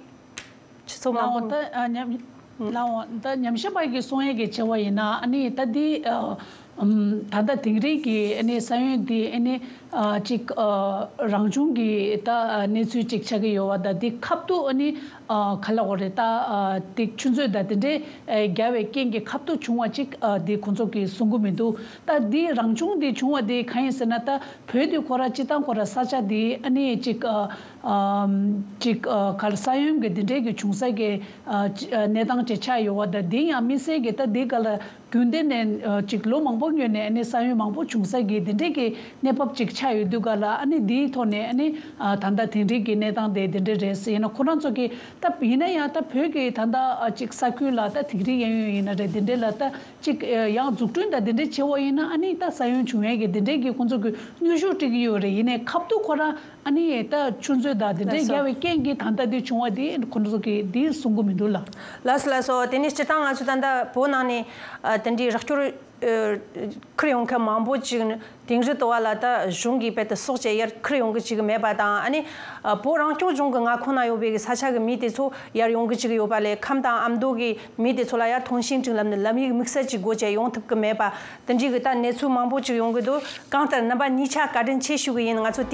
སྤྱི་ཚོགས་མང་པོ། ལའོ་ད་ཨ་ཉམས། ལའོ་ད་ཉམས་ཞིབ་པ་གིས་གསུང་ཡས་ཀྱི་བྱ་བ་ཡིན་ན། ཨ་ནི་ད་འདི་ཨ་ཨམ་ད་ལྟ་དིང་རི་གི་ཨ་ནི་ས་ཡོམ་འདི་ཨ་ནི་ཨ་ཅིག་ཨ་རང་བྱུང་གི་ད་ཨ་གནས་ཚུལ་ཅིག་ཆགས་ཀྱི་ཡོད་པ་དང་། འདི་ཁ་ཐུག་ཨ་ནི་ཨ་ག་ལབ་དགོས་རེད། ད་ཨ་འདི་ཆུ་མཛོད་དང་དེ་འདྲའི་ཨ་རྒྱབ་པའི་རྐྱེན་གྱིས་ཁ་ཐུག་བྱུང་བ་ཅིག་ཨ་འདི་ཁོང་ཚོ་གིས་གསུང་གི་མི་འདུག་ད་འདི་རང་བྱུང་འདི་བྱུང་བ་འདི་གང་ཡིན་ཟེར་ན། ད་བོད་འདི་ཁོ་ར་སྤྱིར་བཏང་ཁོ་ར་ས་ཆ་འདི་ཨ་ནི་ཅིག་ཨ་ཨམ་ཅིག་ཨ་ག་ལ་ས་ཡོམ་གྱི་འདི་འདྲའི་གི་བྱུང་ས་གི་ཨ་ཅི་ཨ་གནས་སྟངས་ཅིག་ཆགས་ཡོད་པ་དང་། འདི་ཡང་དམིགས་བསལ་གྱི་ད་འདི་ག་ལ་རྒྱུན་ལྡན་ནས་ཨ་ཅིག་ལོ་མང་པོ་སྔོན་ནས་ཨ་ནི་ས་ཡོམ་མང་པོ་བྱུང་ས་གི་འདི་འདྲའི་གི་གནས་བབ་ཅིག་ཆགས་ཡོད་དུས་ག་ལ། ཨ་ནི་འདིའི་ཐོག་ནས་ཨ་ནི་ཨ་ད་ལྟ་དིང་རི་གི་གནས་སྟངས་དེ་འདི་འདྲ་རེད་ཟེར། ཡིན་ན་ཁོ་རང་ཚོ་གི་ད་ཡིན་ན་ཡང་ད་བོད་ཀྱི་ད་ལྟ་ཨ་ཅིག་ས་ཁུལ་ལ་ད་དིང་རི་གཡས་གཡོན་ཡིན་ན་རེད། འདི་འདྲའི་ལ་ད་ཅིག་ཡང་འཛུགས་སྐྲུན་དང་འདི་འདྲའི་བྱེད་པ་ཡིན་ན། ཨ་ནི་ད་ས་ཡོམ་བྱུང་ཡས་ཀྱི་འདི་འདྲའི་གི་ཁོང་ཚོ་གི་དངོས་ཤུགས་སྤྲད་ཀྱི་ཡོད་རེད། ཡིན་ནའི་ཁ་ཐུག་ཁོ་རང་ ཨ་ནི་ད་ཆུ་མཛོད་དང་དེ་འདྲའི་ལགས་སོ། རྒྱ་བའི་རྐྱེན་གྱིས་ད་ལྟ་དེ་བྱུང་བ་དེ་ཁོ་ཚོ་གིས་དེ་གསུང་གི་མི་འདུག་ལ། ལགས་སོ་ལགས་སོ། དེ་ནས་སྤྱིར་བཏང་ང་ཚོ་ད་ལྟ་བོད་ནང་ནས་ཨ་དེ་འདྲའི་རོགས་སྐྱོར་ཨ་ཁུར་ཡོང་མཁན་མང་པོ་ཅིག་ནི་དིང་རི་ཏོ་བ་ལ་ད་གཞུང་གིས་རྦད་དེ་སྲོག་བཅད་ཡར་ཁུར་ཡོང་གི་ཅིག་མེད་པ་དང་། ཨ་ནི་ཨ་བོད་རང་སྐྱོང་ལྗོངས་ཀྱི་མངའ་ཁོངས་ན་ཡོད་པའི་གི་ས་ཆ་གི་མི་དེ་ཚོ་ཡར་ཡོང་གི་ཅིག་ཡོད་པ་ལས། ཁམས་དང་ཨ་མདོ་གི་མི་དེ་ཚོ་ལ་ཡར་ཐོན་ཤིང་ཅིག་ལབ་ནས་ལམ་ཡིག་དམིགས་བསལ་ཅིག་དགོས་བྱས་ཡོང་ཐུབ་གི་མེད་པ། དེ་འདྲའི་གི་ད་གནས་ཚུལ་མང་པོ་ཅིག་ཡོང་གི་འདུག། གང་ལྟར་རྣམ་པ་གཉིས་ཆ་བཀའ་དྲིན་ཆེ་ཞུ་གི་ཡིན། ང་ཚོ་དུས་